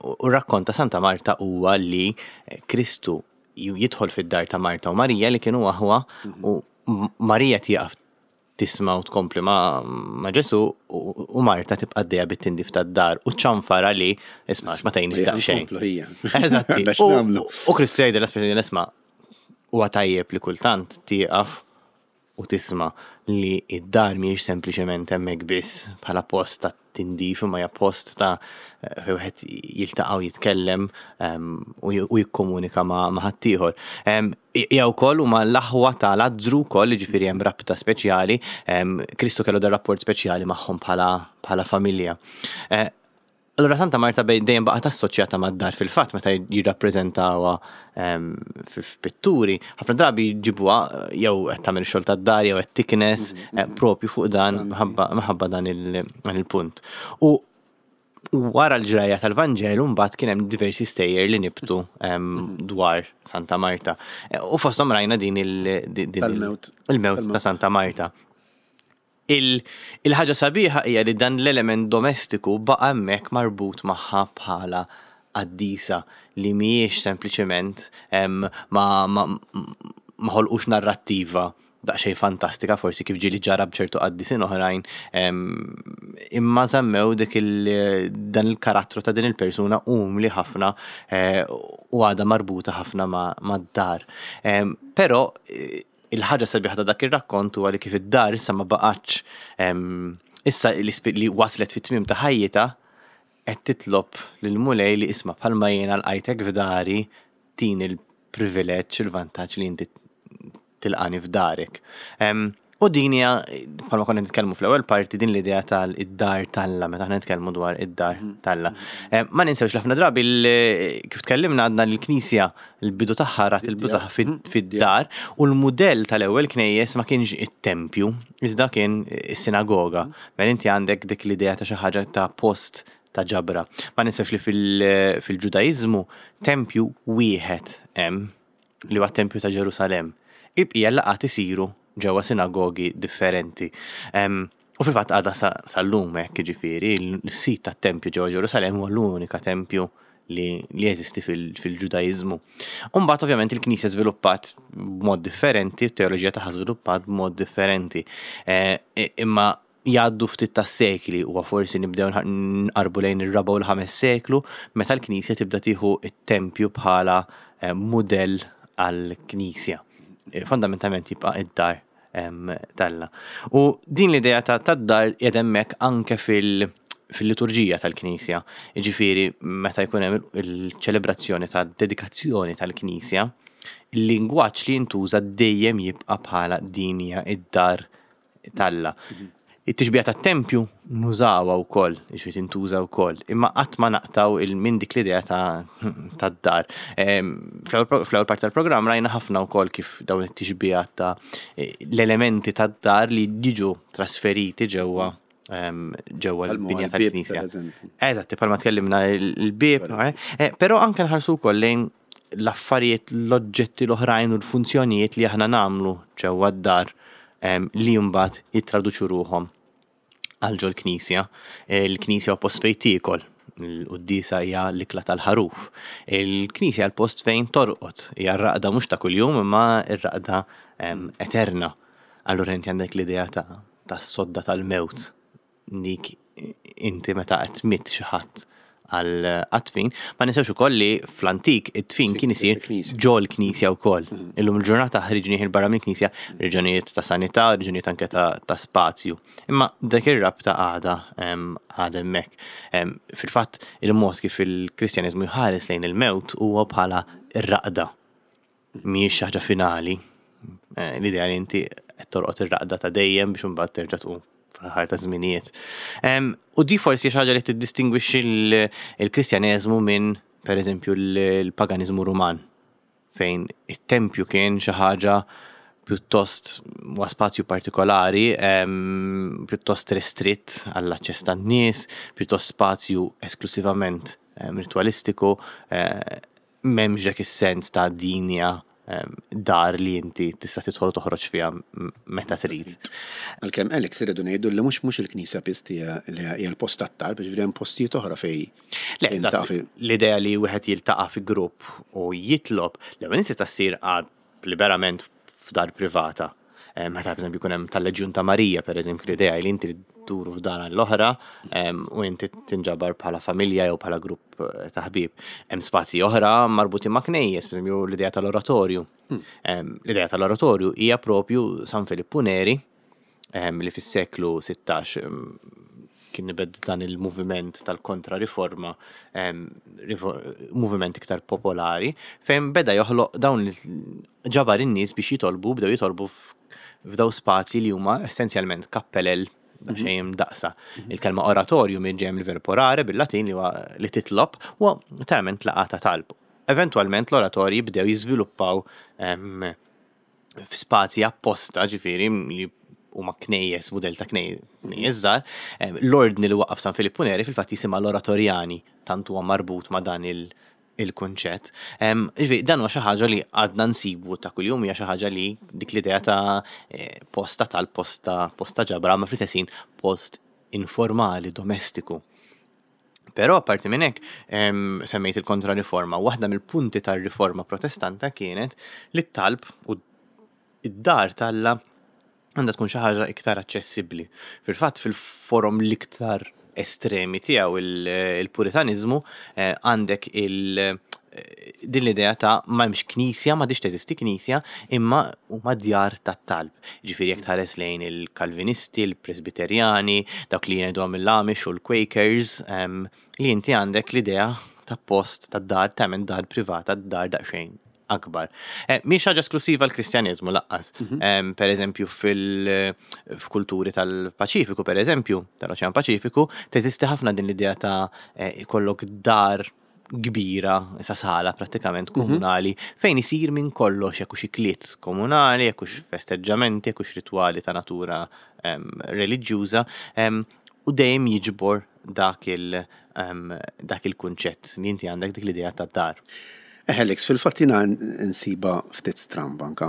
U r-rakkont ta' Santa Marta huwa li Kristu jidħol fid-dar ta' Marta u Marija li kienu aħwa u Marija tieqaf tisma' u tkompli ma' Ġesù u Marta tibqa' għaddejja bit-tindif tad-dar u ċanfara li isma' ma tgħinix daqsxejn. Eżatti. U Kristu jgħidilha speċi isma' huwa tajjeb li kultant tieqaf u tisma' li d-dar mhijiex sempliċement hemmhekk biss bħala post ta' tindif imma hija post ta' fejn wieħed jiltaqa' u jitkellem u jikkomunika ma' ħaddieħor. Hija wkoll huma l-aħwa ta' Lazzru wkoll, jiġifieri hemm rabta speċjali. Kristu kellu dar rapport speċjali magħhom bħala familja. Allura Santa Marta dejjem baqgħet assoċjata mad-dar fil-fatt meta jirrappreżentawha f'pitturi, ħafna drabi jġibuha jew qed tagħmel ix-xogħol tad-dar jew qed tiknes propju fuq dan minħabba dan il-punt. U wara l-ġrajja tal-Vanġelu mbagħad kien hemm diversi stejjer li nibtu dwar Santa Marta. U fosthom rajna din il-mewt ta' Santa Marta. Il-ħaġa sabiħa hija li dan l-element domestiku baqa' hemmhekk marbut magħha bħala qaddisa li mhijiex sempliċement ma ma ħolqux narrattiva daqsxejn fantastika forsi kif ġieli ġara b'ċertu qaddisin oħrajn imma żammew dik dan il-karattru ta' din il-persuna umli ħafna u għadha marbuta ħafna mad-dar. Però Il-ħaġa sabiħa ta' dak ir-rakkont huwa li kif id-dar issa ma baqgħetx issa li waslet fit-tmiem ta' ħajjitha qed titlob lill-Mulej li isma' bħalma jiena lqajtek f'dari tini l-privileġġ, il-vantaġġ li inti tilqani f'darek. U din hija, bħalma konna nitkellmu fl-ewwel parti, din l-idea tal-id-dar t'Alla, meta aħna nitkellmu dwar id-dar mhm. t'Alla. Eh, ma ninsewx ħafna drabi kif tkellimna għadna l-Knisja l-bidu tagħha rat il-bidu tagħha mhm. fid-dar u l-mudell tal-ewwel knejjes ma kienx it-tempju, iżda kien is-sinagoga. Mhm. Mela inti għandek dik l-idea ta' xi ħaġa ta' post ta' ġabra. Ma ninsewx li fil-Ġudaiżmu tempju wieħed hemm li huwa t-tempju ta' Ġerusalemm. Il-bqija l-laqgħat isiru ġewwa sinagogi differenti. U fil-fatt għadha sal-lum hekk, jiġifieri l-sit tat-tempju ġewwa Ġerusalemm huwa l-unika tempju li jeżisti fil-Ġudaiżmu. U mbagħad ovvjament il-Knisja żviluppat b'mod differenti, t-teoloġija tagħha żviluppat b'mod differenti. Eh, imma jgħaddu ftit tas-sekli huwa forsi nibdew nqarbu lejn ir-raba' u l-ħames seklu meta l-Knisja tibda tieħu t-tempju bħala eh, mudell għall-Knisja. Eh, fundamentalment jibqa' id-dar t'Alla. U din l-idea ta' tad-dar qiegħda hemmhekk anke fil- fil-liturġija tal-Knisja. Jiġifieri meta jkun hemm il-ċelebrazzjoni ta' dedikazzjoni tal-Knisja, il-lingwaġġ li jintuża dejjem jibqa' bħala din hija id-dar t'Alla. It-tixbiha tat-tempju nużawha wkoll, jiġifieri tintuża wkoll, imma qatt ma naqtgħu minn dik l-idea tad-dar. Fl-ewwel parti tal-programm rajna ħafna wkoll kif dawn it-tixbihat ta' l-elementi tad-dar li jiġu trasferiti ġewwa ġewwa l-binja tal-knisja. Eżatt, bħalma tkellimna l-bieb, eh, però anke nħarsu wkoll lejn l-affarijiet, l-oġġetti l-oħrajn u l-funzjonijiet li aħna nagħmlu ġewwa d-dar li mbagħad jittraduċu ruħhom għal ġol-knisja. Il-knisja huwa post fejn tiekol, il-quddiesa hija l-ikla tal-ħaruf. Il-knisja l-post fejn torqod, hija r-raqda mhux ta' kuljum imma r-raqda eterna. Allura inti għandek l-idea ta' tas-sodda tal-mewt dik inti meta qed tmitt xi ħadd għal għat-tfin. Ma ninsewx ukoll li fl-antik it-tfin kien isir ġol knisja wkoll. Mm. Illum il-ġurnata ħriġnieh il barra mill-knisja reġunijiet ta' sanità, reġunijiet anke ta' spazju. Imma dak ir-rabta għada għada hemmhekk. Fil-fatt il-mod kif il-Kristjaniżmu jħares lejn il-mewt huwa bħala r-raqda. Mhijiex xi ħaġa finali. Eh, l-idea li inti qed torqod ir-raqda ta' dejjem biex imbagħad terġa' tqum fl-aħħar ta' żminijiet. U di forsi xi ħaġa li tiddistingwixxi l-Kristjaneżmu minn pereżempju l-paganiżmu Ruman fejn it-tempju kien xi ħaġa pjuttost huwa spazju partikolari, pjuttost restritt għall-aċċess tan-nies, pjuttost spazju esklusivament ritwalistiku, eh, m'hemmx dak is-sens ta' din hija dar li inti tista' tidħol u toħroġ fiha meta trid. Għalkemm Alex irridu ngħidu li mhux mhux il-knisja biss hija li hija l-post tat-talb, jiġifieri hemm postijiet oħra fejn Le, eżatt, l-idea li wieħed jiltaqa' fi grupp u jitlob, l-ewwel nett tista' ssir liberament f'dar privata. Eh, meta pereżempju jkun hemm tal-Leġjun ta' Marija, pereżempju l-idea li inti dduru f'dar għall-oħra u inti tinġabar bħala familja jew bħala grupp eh, ta' ħbieb. Hemm spazji oħra marbutin ma' knejjes, pereżempju l-idea tal-oratorju. Hmm. L-idea tal-oratorju hija propju San Filippu Neri li fis-seklu 16 kien nibed dan il-moviment tal-kontra-riforma, moviment iktar popolari, fejn beda joħloq dawn ġabar in-nies biex jitolbu, bdew jitolbu f'daw spazji li huma essenzjalment kappelel daqsxejn imdaqqsa. Il-kelma oratorju minn ġejja mill-verb orare bil-Latin li huwa li titlob, huwa letteralment laqgħa ta' talb. Eventwalment l-oratorji bdew jiżviluppaw f'spazji apposta, ġifieri li huma knejjes, mudell ta' knejjes żgħar. L-ordni li waqqaf San Filippu Neri fil-fatt jisimha l-Oratorjani, tant huwa marbut ma' dan il-kunċett. Ġifieri dan huwa xi ħaġa li għadna nsibu ta' kuljum hija xi ħaġa li dik l-idea ta' eh, post ta' talb, post ta' post ta' ġabra, ma fl-istess ħin post informali, domestiku. Però apparti minn hekk, semmejt il-kontra-riforma, waħda mill-punti tar-riforma protestanta kienet li t-talb u d-dar t'Alla għandha tkun xi ħaġa iktar aċċessibbli. Fil-fatt fil-forom l-iktar estremi tiegħu il-Puritaniżmu eh, għandek il- din l-idea ta' ma hemmx knisja, ma diċ teżisti knisja, imma huma djar tat-talb. Ġifieri jekk tħares lejn il-Kalvinisti, il-Presbiterjani, dawk li jgħidu mill-Amish u l-Quakers, li inti għandek l-idea ta' post ta' dar, ta' dar privata, dar daqsxejn akbar. Eh, mhix ħaġa esklusiva l-Kristjaneżmu lanqas. Mhm. Per eżempju fil-kulturi tal-Paċifiku, per eżempju, tal-Oċean Paċifiku, teżisti ħafna din l-idea ta' eh, ikollok dar kbira, sa sala prattikament mhm. komunali, fejn isir minn kollox, jekk hux ikliet komunali, jekk hux festeġġamenti, jekk hux ritwali ta' natura reliġjuża, u dejjem jiġbor dak il dak il-kunċett li inti għandek dik l-idea ta' dar. Alex, fil-fatt jiena nsibha ftit stramba anka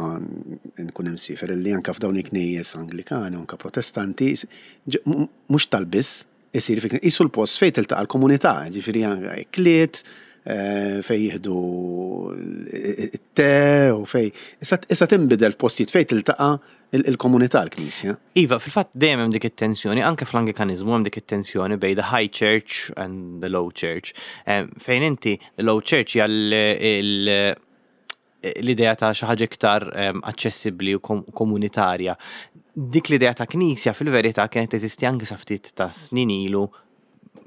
nkun imsiefer illi anka f'dawn il-knejjes Anglikani u anka Protestanti mhux tal-biss isir fi qisu l-post fejn tiltaqa' l-komunità, ġifieri anka ikliet, fejn jieħdu t-te u fejn issa tinbidel f'postijiet fejn tiltaqa' il-komunità l-Knisja. Iva, fil-fatt dejjem hemm dik it-tensjoni, anke fl-Anglikaniżmu hemm dik it-tensjoni bejn the high church and the low church. Fejn inti, the low church hija l-idea ta' xi ħaġa iktar aċċessibbli u komunitarja. Dik l-idea ta' knisja fil-verità kienet teżisti anke sa ftit ta' snin ilu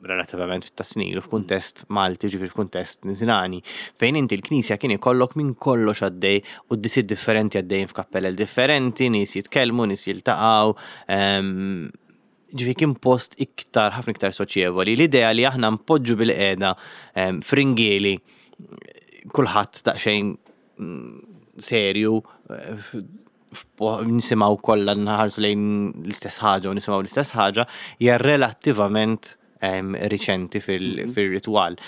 relattivament ta' snin ilu f'kuntest Malti, ġifieri f'kuntest Nisrani, fejn inti l-knisja kien ikollok minn kollox għaddej u d-disiet differenti għaddejjin f'kappellel differenti, nies jitkellmu, nies jiltaqgħu. Ehm, ġifieri kien post iktar, ħafna iktar soċjevoli. L-idea li aħna npoġġu bil-qiegħda ehm, fringieli kulħadd daqsxejn mm, serju eh, nisimgħu kollha nħarsu lejn l-istess ħaġa u nisimgħu l-istess ħaġa hija relattivament riċenti mhm. fil-ritwal.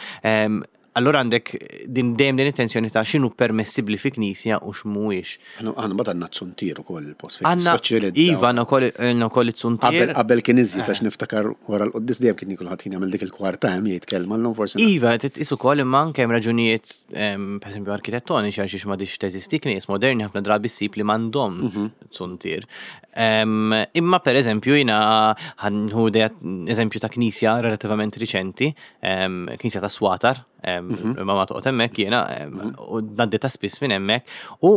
Allura għandek din dejjem din it-tensjoni ta' x'inhu permessibbli fi knisja u x'mhuwiex. Aħna mbagħad għandna t-zuntier ukoll il-post fejn tissoċjalizza. Iva, għandna wkoll it-zuntier. Qabel kien iżjed għax niftakar wara l-quddies dejjem kien kulħadd kien jagħmel dik il-kwarta hemm jgħid kelma llum forsi. Iva, titqis ukoll imma anke hemm raġunijiet pereżempju arkitettoniċi għal xiex m'għadix teżisti knies moderni ħafna drabi ssib li m'għandhomx mhm. zuntier. Imma pereżempju jiena ħanħu eżempju ta' knisja relattivament riċenti, knisja ta' Swatar, mhm. ma ma toqgħod hemmhekk jiena mhm. u ngħaddi ta' spiss minn hemmhekk u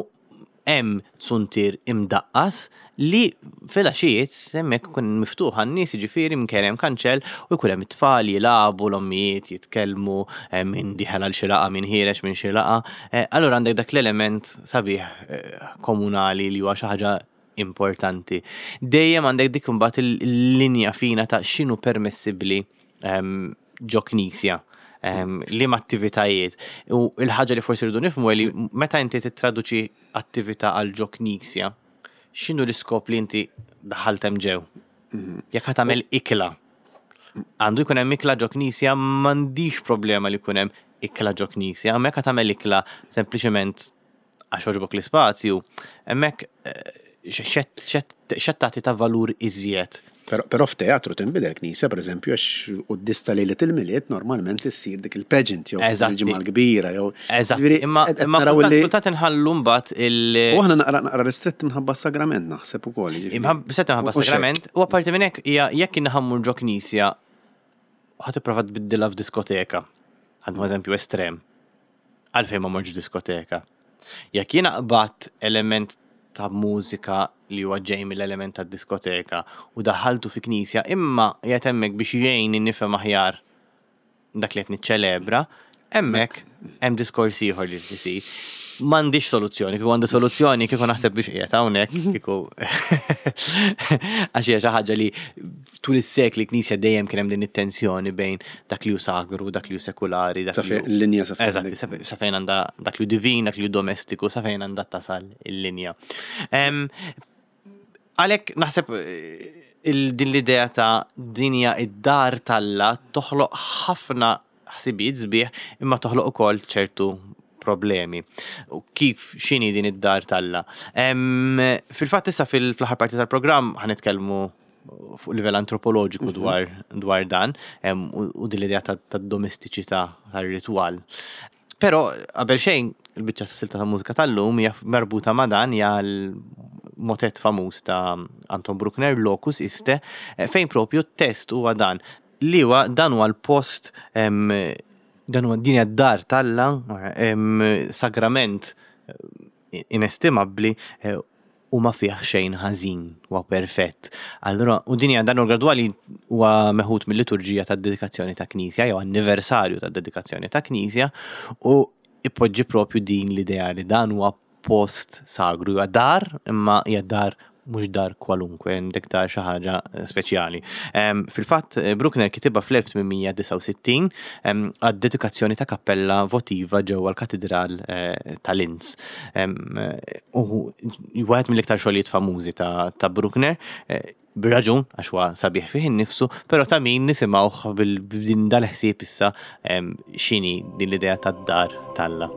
hemm zuntier imdaqqas li filgħaxijiet hemmhekk ikun miftuħ għan-nies jiġifieri minkejja hemm kanċell u jkun hemm it-tfal jilagħbu, l-ommijiet jitkellmu, min dieħel għal xi laqgħa, min ħiereġ minn xi laqgħa. Eh, allura għandek dak l-element sabiħ eh, komunali li huwa xi ħaġa importanti. Dejjem għandek dik imbagħad il-linja fina ta' x'inhu permessibbli ehm, ġo knisja ehm, liema attivitajiet. U l-ħaġa li forsi rridu nifhmu li meta inti tittraduċi attività għal ġo knisja, x'inhu l-iskop li inti daħalt hemm ġew? Mhm. Jekk ħa tagħmel ikla, għandu jkun hemm ikla ġo knisja, m'għandix problema li jkun hemm ikla ġo knisja, imma jekk ħa tagħmel ikla sempliċement għax għoġbok l-ispazju, hemmhekk eh, x'qed tagħti ta' valur iżjed. Però f'teatru tinbidel knisja, pereżempju, għax quddies ta' lejlet il-Milied normalment issir dik il-pageant jew il-ġimgħa l-kbira jew. Eżatt. Imma imma kultant inħallu mbagħad il. U aħna naqra naqra ristretti minħabba s-sagrament naħseb ukoll. Minħabba minħabba s-sagrament u apparti minn hekk hija jekk inħammur ġo knisja ħa tipprova tbiddilha f'diskoteka. Ħadmu eżempju estrem. Għalfejn ma mortx diskoteka? Jekk jiena qbadt element ta' mużika li huwa ġej mill-element tad-diskoteka u daħħaltu fi knisja imma qiegħed hemmhekk biex jgħinni nifhem aħjar dak li qed niċċelebra, hemmhekk hemm diskors ieħor li jrid isir. M'għandix soluzzjoni, kieku għandi soluzzjoni kieku naħseb biex qiegħed hawnhekk, kieku għax hija xi ħaġa li tul is-sekli knisja dejjem kien hemm din it-tensjoni bejn dak li hu sagru, dak li hu sekulari, dak li l-linja sa fejn. Eżatt, sa fejn għandha dak li hu divin, dak li hu domestiku, sa fejn għandha tasal il-linja. Għalhekk naħseb eh, din l-idea ta' dinja id-dar talla toħloq ħafna ħsibijiet sbieħ imma toħloq ukoll ċertu problemi. U kif x'inhi din id-dar t'Alla? Fil-fatt issa fil-aħħar parti tal-programm ħa nitkellmu fuq livell antropoloġiku mhm. dwar, dwar dan u din l-idea tad-domestiċità tar-ritwal. Però qabel xejn il-biċċa ta' silta ta' mużika tal-lum hija marbuta ma' dan hija l-motet famuż ta' Anton Bruckner Locus Iste eh, fejn propju t-test huwa dan li huwa dan huwa l-post dan huwa din hija d-dar t'Alla, sagrament eh, inestimabbli eh, u ma fih xejn ħażin, huwa perfett. Allura, u din hija dan gradwali huwa meħud mill-liturġija tad-dedikazzjoni ta' knisja jew anniversarju tad-dedikazzjoni ta' knisja u ipoġġi propju din l-idea li dan huwa post sagru, hija dar imma hija dar mhux dar kwalunkwe, dik dar xi ħaġa speċjali. Fil-fatt, Bruckner kitibha fl-1869 għad-dedikazzjoni ta' kappella votiva ġewwa l-Katidral eh, ta' Linz. U wieħed mill-iktar xogħlijiet famużi ta' Bruckner, eh, Bir-raġun, għax huwa sabiħ fih innifsu, però ta' min nisimgħuh b'din dal-ħsieb issa x'inhi din l-idea tad-dar t'Alla.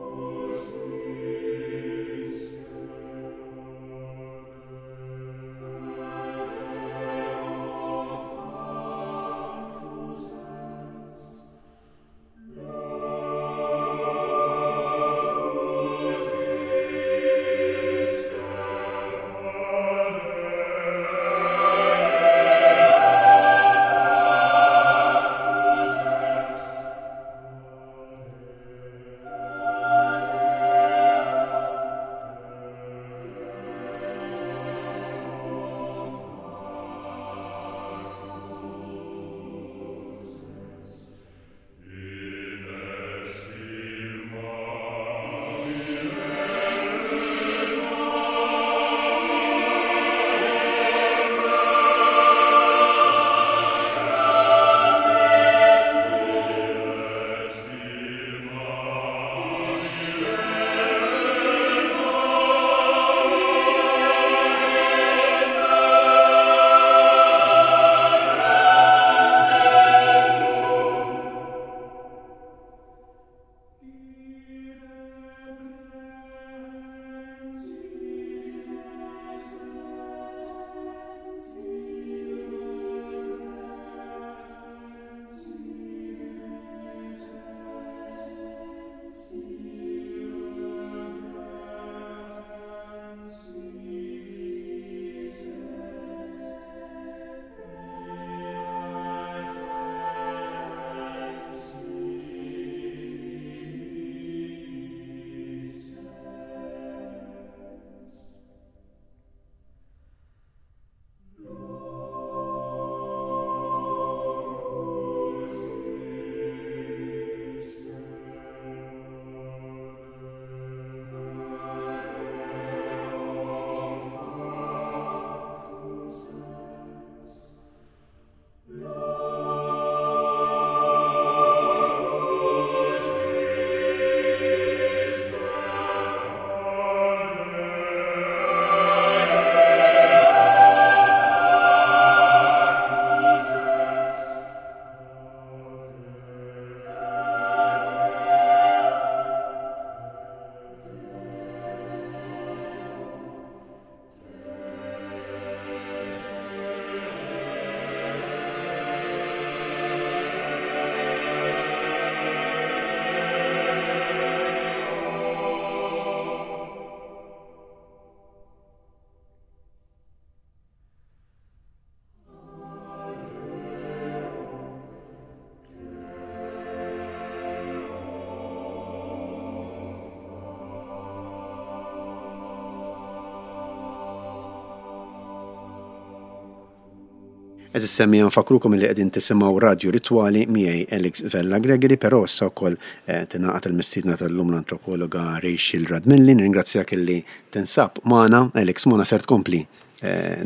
Għeżież semmiegħa nfakkrukom illi qegħdin tisimgħu Radju Ritwali miegħi Alex Vella Gregory però issa wkoll tingħaqad il-mistiedna tal-lum l-antropologa Rachel Radmilli. Nirringrazzjak illi tinsab magħna. Alex, magħna ser tkompli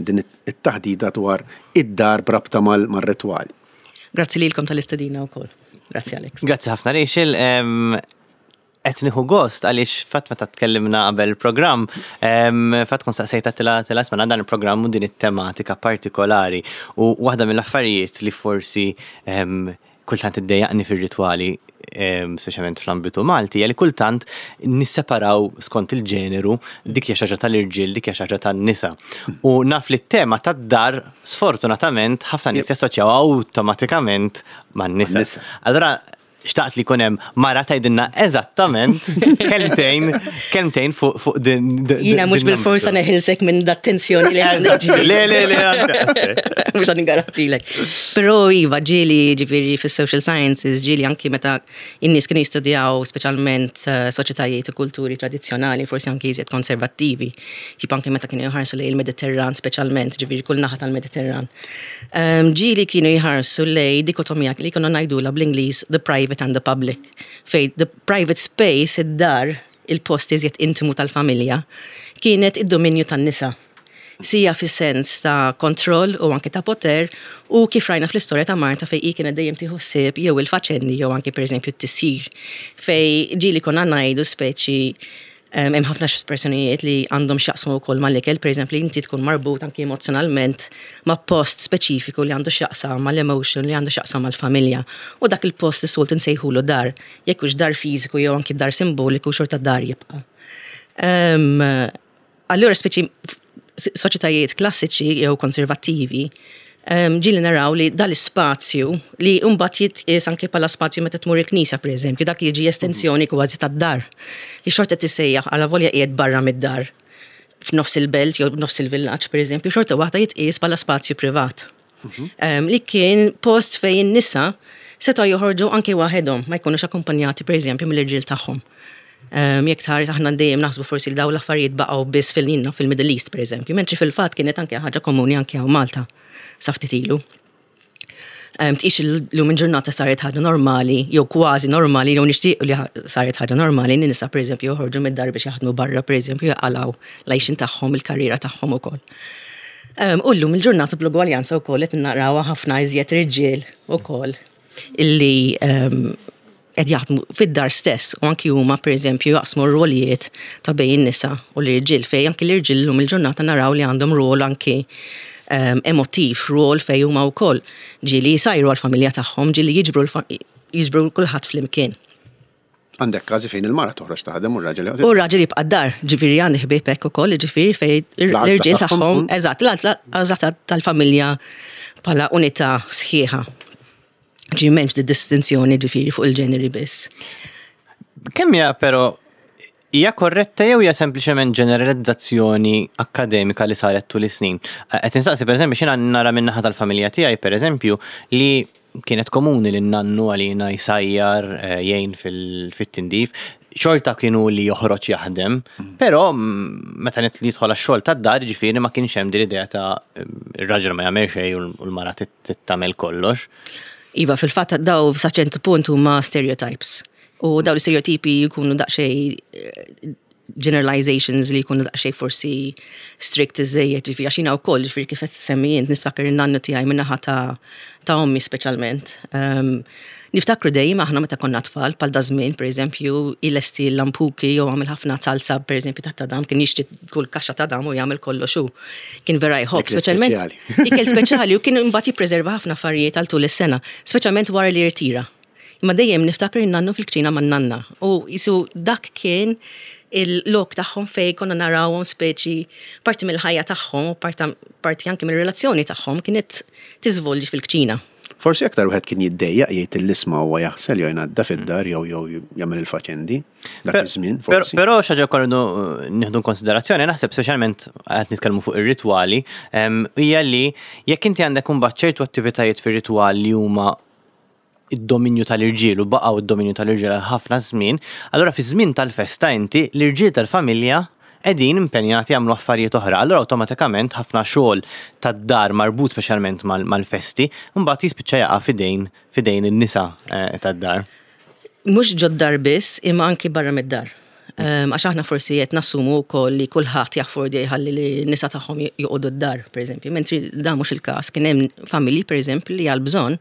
din it-taħdita dwar id-dar b'rabta mar-ritwali. Grazzi lilkom tal-istedina wkoll. Grazzi Alex. Grazzi ħafna Rachel. Qed nieħu gost għaliex fatt meta tkellimna qabel il-programm, fatt kont saqsejtha tilha tilha isma' dan il-programm u din it-tematika partikolari. U waħda mill-affarijiet li forsi kultant iddejjaqni fir-ritwali, speċjalment fl-ambitu Malti, hija li kultant nisseparaw skont il-ġeneru dik hija xi ħaġa tal-irġiel, dik hija xi ħaġa tan-nisa. U naf li t-tema tad-dar sfortunatament ħafna nies jassoċjawha awtomatikament man-nisa. Allura Xtaqt li jkun hemm mara tgħidilna eżattament kelmtejn kelmtejn fuq fuq din. Jiena mhux bil-forsa neħilsek minn dat tensjoni li għandek. Le le le. Mhux għad ngarantilek. Però iva ġieli ġifieri fis-social sciences ġieli anki meta in-nies kienu jistudjaw speċjalment eh, soċjetajiet u kulturi tradizzjonali forsi anki iżjed konservattivi, tip anki meta kienu jħarsu lejn il-Mediterran speċjalment, ġifieri kull naħa tal-Mediterran. Ġieli kienu jħarsu lejn dikotomija li konna ngħidulha bl-Ingliż the private and the public, fejn the private space, id-dar, il-post iżjed intimu tal-familja, kienet id-dominju tan-nisa. Sija fis-sens ta' kontroll u anki ta' poter u kif rajna fl-istorja ta' Marta fejn hi kienet dejjem tieħu ħsieb jew il-faċendi jew anki pereżempju t-tisjir. Fejn ġieli konna ngħidu speċi Hemm ħafna espressjonijiet li għandhom x'jaqsmu wkoll mal-ikel, pereżempju li inti tkun marbut anki emozzjonalment ma' post speċifiku li għandu x'jaqsam mal-emotion, li għandu x'jaqsam mal-familja. U dak il-post is-soltu nsejħulu dar, jekk hux dar fiżiku jew anki dar simboliku xorta dar jibqa'. Allura speċi soċjetajiet klassiċi jew konservattivi ġieli naraw li dal-ispazju li mbagħad jitqies anke bħala spazju meta tmur il-knisja pereżempju, dak jiġi estensjoni kważi tad-dar. Li xorta tissejjaħ għala volja qiegħed barra mid-dar f'nofs il-belt jew f'nofs il-villaġġ pereżempju, xorta waħda jitqies bħala spazju privat. Mhm. Li kien post fejn in-nisa setgħu joħorġu anke waħedhom, ma jkunux akkumpanjati pereżempju mill-irġiel tagħhom. Jekk tħares aħna dejjem naħsbu forsi li dawn l-affarijiet baqgħu biss fil fil-Middle East pereżempju, mentri fil-fatt kienet anke ħaġa komuni anke hawn Malta sa ftit ilu. Tqix illum il-ġurnata saret ħaġa normali, jew kważi normali, jew nixtieq li saret ħaġa normali li nisa pereżempju joħorġu mid-dar biex jaħdmu barra pereżempju jaqalgħu l-għajxien tagħhom, il-karriera tagħhom ukoll. U llum il-ġurnata bl-ugwaljanza wkoll qed narawha ħafna iżjed irġiel ukoll illi qed jaħdmu fid-dar stess u anki huma pereżempju jaqsmu r-rwolijiet ta' bejn in-nisa u l-irġiel fejn anki l-irġiel illum il-ġurnata naraw li għandhom rwol anki ehm, emotiv, rwol fejn huma wkoll ġieli jsajru għall-familja tagħhom, ġieli jiġbru jiġbru kulħadd flimkien. Għandek każi fejn il-mara toħroġ taħdem u r-raġel joqgħod. U r-raġel jibqa' d-dar, ġifieri għandi ħbieb hekk ukoll, ġifieri fejn l-irġiel tagħhom, eżatt, l-għażla tal-familja bħala unità sħiħa. Ġifieri m'hemmx di distinzjoni ġifieri fuq il-ġeneri biss. Kemm hija però hija korretta jew hija sempliċement ġeneralizzazzjoni akkademika li saret tul is-snin? Qed insaqsi pereżempju x'jiena nara min-naħa tal-familja tiegħi pereżempju li kienet komuni li n-nannu għalina jsajjar, eh, jgħin fit-tindif, xorta kienu li joħroġ jaħdem, mm. però mm, meta jidħol għax-xogħol tad-dar, ġifieri ma kienx hemm din l-idea ta' ir-raġel ma jagħmel xejn u l-mara tagħmel kollox. Iva, fil-fatt daw sa ċertu punt huma stereotypes. U daw l-stereotipi jkunu daqsxejn eh, generalizations li jkunu daqsxejn forsi strict iżejjed, ġifieri għax jiena wkoll ġifieri kif qed semmi int niftakar in-nannu tiegħi min-naħa ta' ta' ommi speċjalment. Ehm, niftakru dejjem aħna meta konna tfal bħal da żmien pereżempju ilesti l-lampuki jew għamel ħafna salsa pereżempju ta' tadam kien jixtri kull kaxxa tadam u jagħmel kollox hu. Kien vera jħobb speċjalment ikel speċjali u kien imbagħad jippreserva ħafna affarijiet għal tul is-sena, speċjalment wara li jirtira. Imma dejjem niftakar in-nannu fil-kċina man-nanna u jisu dak kien il-lok tagħhom fej konna narawhom speċi parti mill-ħajja tagħhom u parti anke mill-relazzjoni tagħhom kienet tiżvolġi fil-kċina. Forsi aktar wieħed kien jiddejjaq jgħid il-isma huwa jaħsel jew jnaddaf id-dar jew jew jagħmel il-faċendi dak iż-żmien forsi. Però xi ħaġa wkoll nieħdu konsiderazzjoni naħseb speċjalment qed nitkellmu fuq ir-ritwali hija li jekk inti għandek imbagħad ċertu attivitajiet fir-ritwal li huma id-dominju tal-irġiel u baqgħu d-dominju tal-irġiel għal ħafna żmien, allura fi żmien tal-festa inti l-irġiel tal-familja qegħdin impenjati jagħmlu affarijiet oħra. Allura awtomatikament ħafna xogħol tad-dar marbut speċjalment mal-festi, mbagħad jispiċċa jaqa' f'idejn f'idejn in-nisa tad-dar. Mhux ġod-dar biss, imma anki barra mid-dar. Għax aħna forsi qed nassumu wkoll li kulħadd jaffordja jħalli li nisa tagħhom joqogħdu d-dar, pereżempju, mentri dan mhux il-każ. Kien hemm familji, pereżempju, li għal bżonn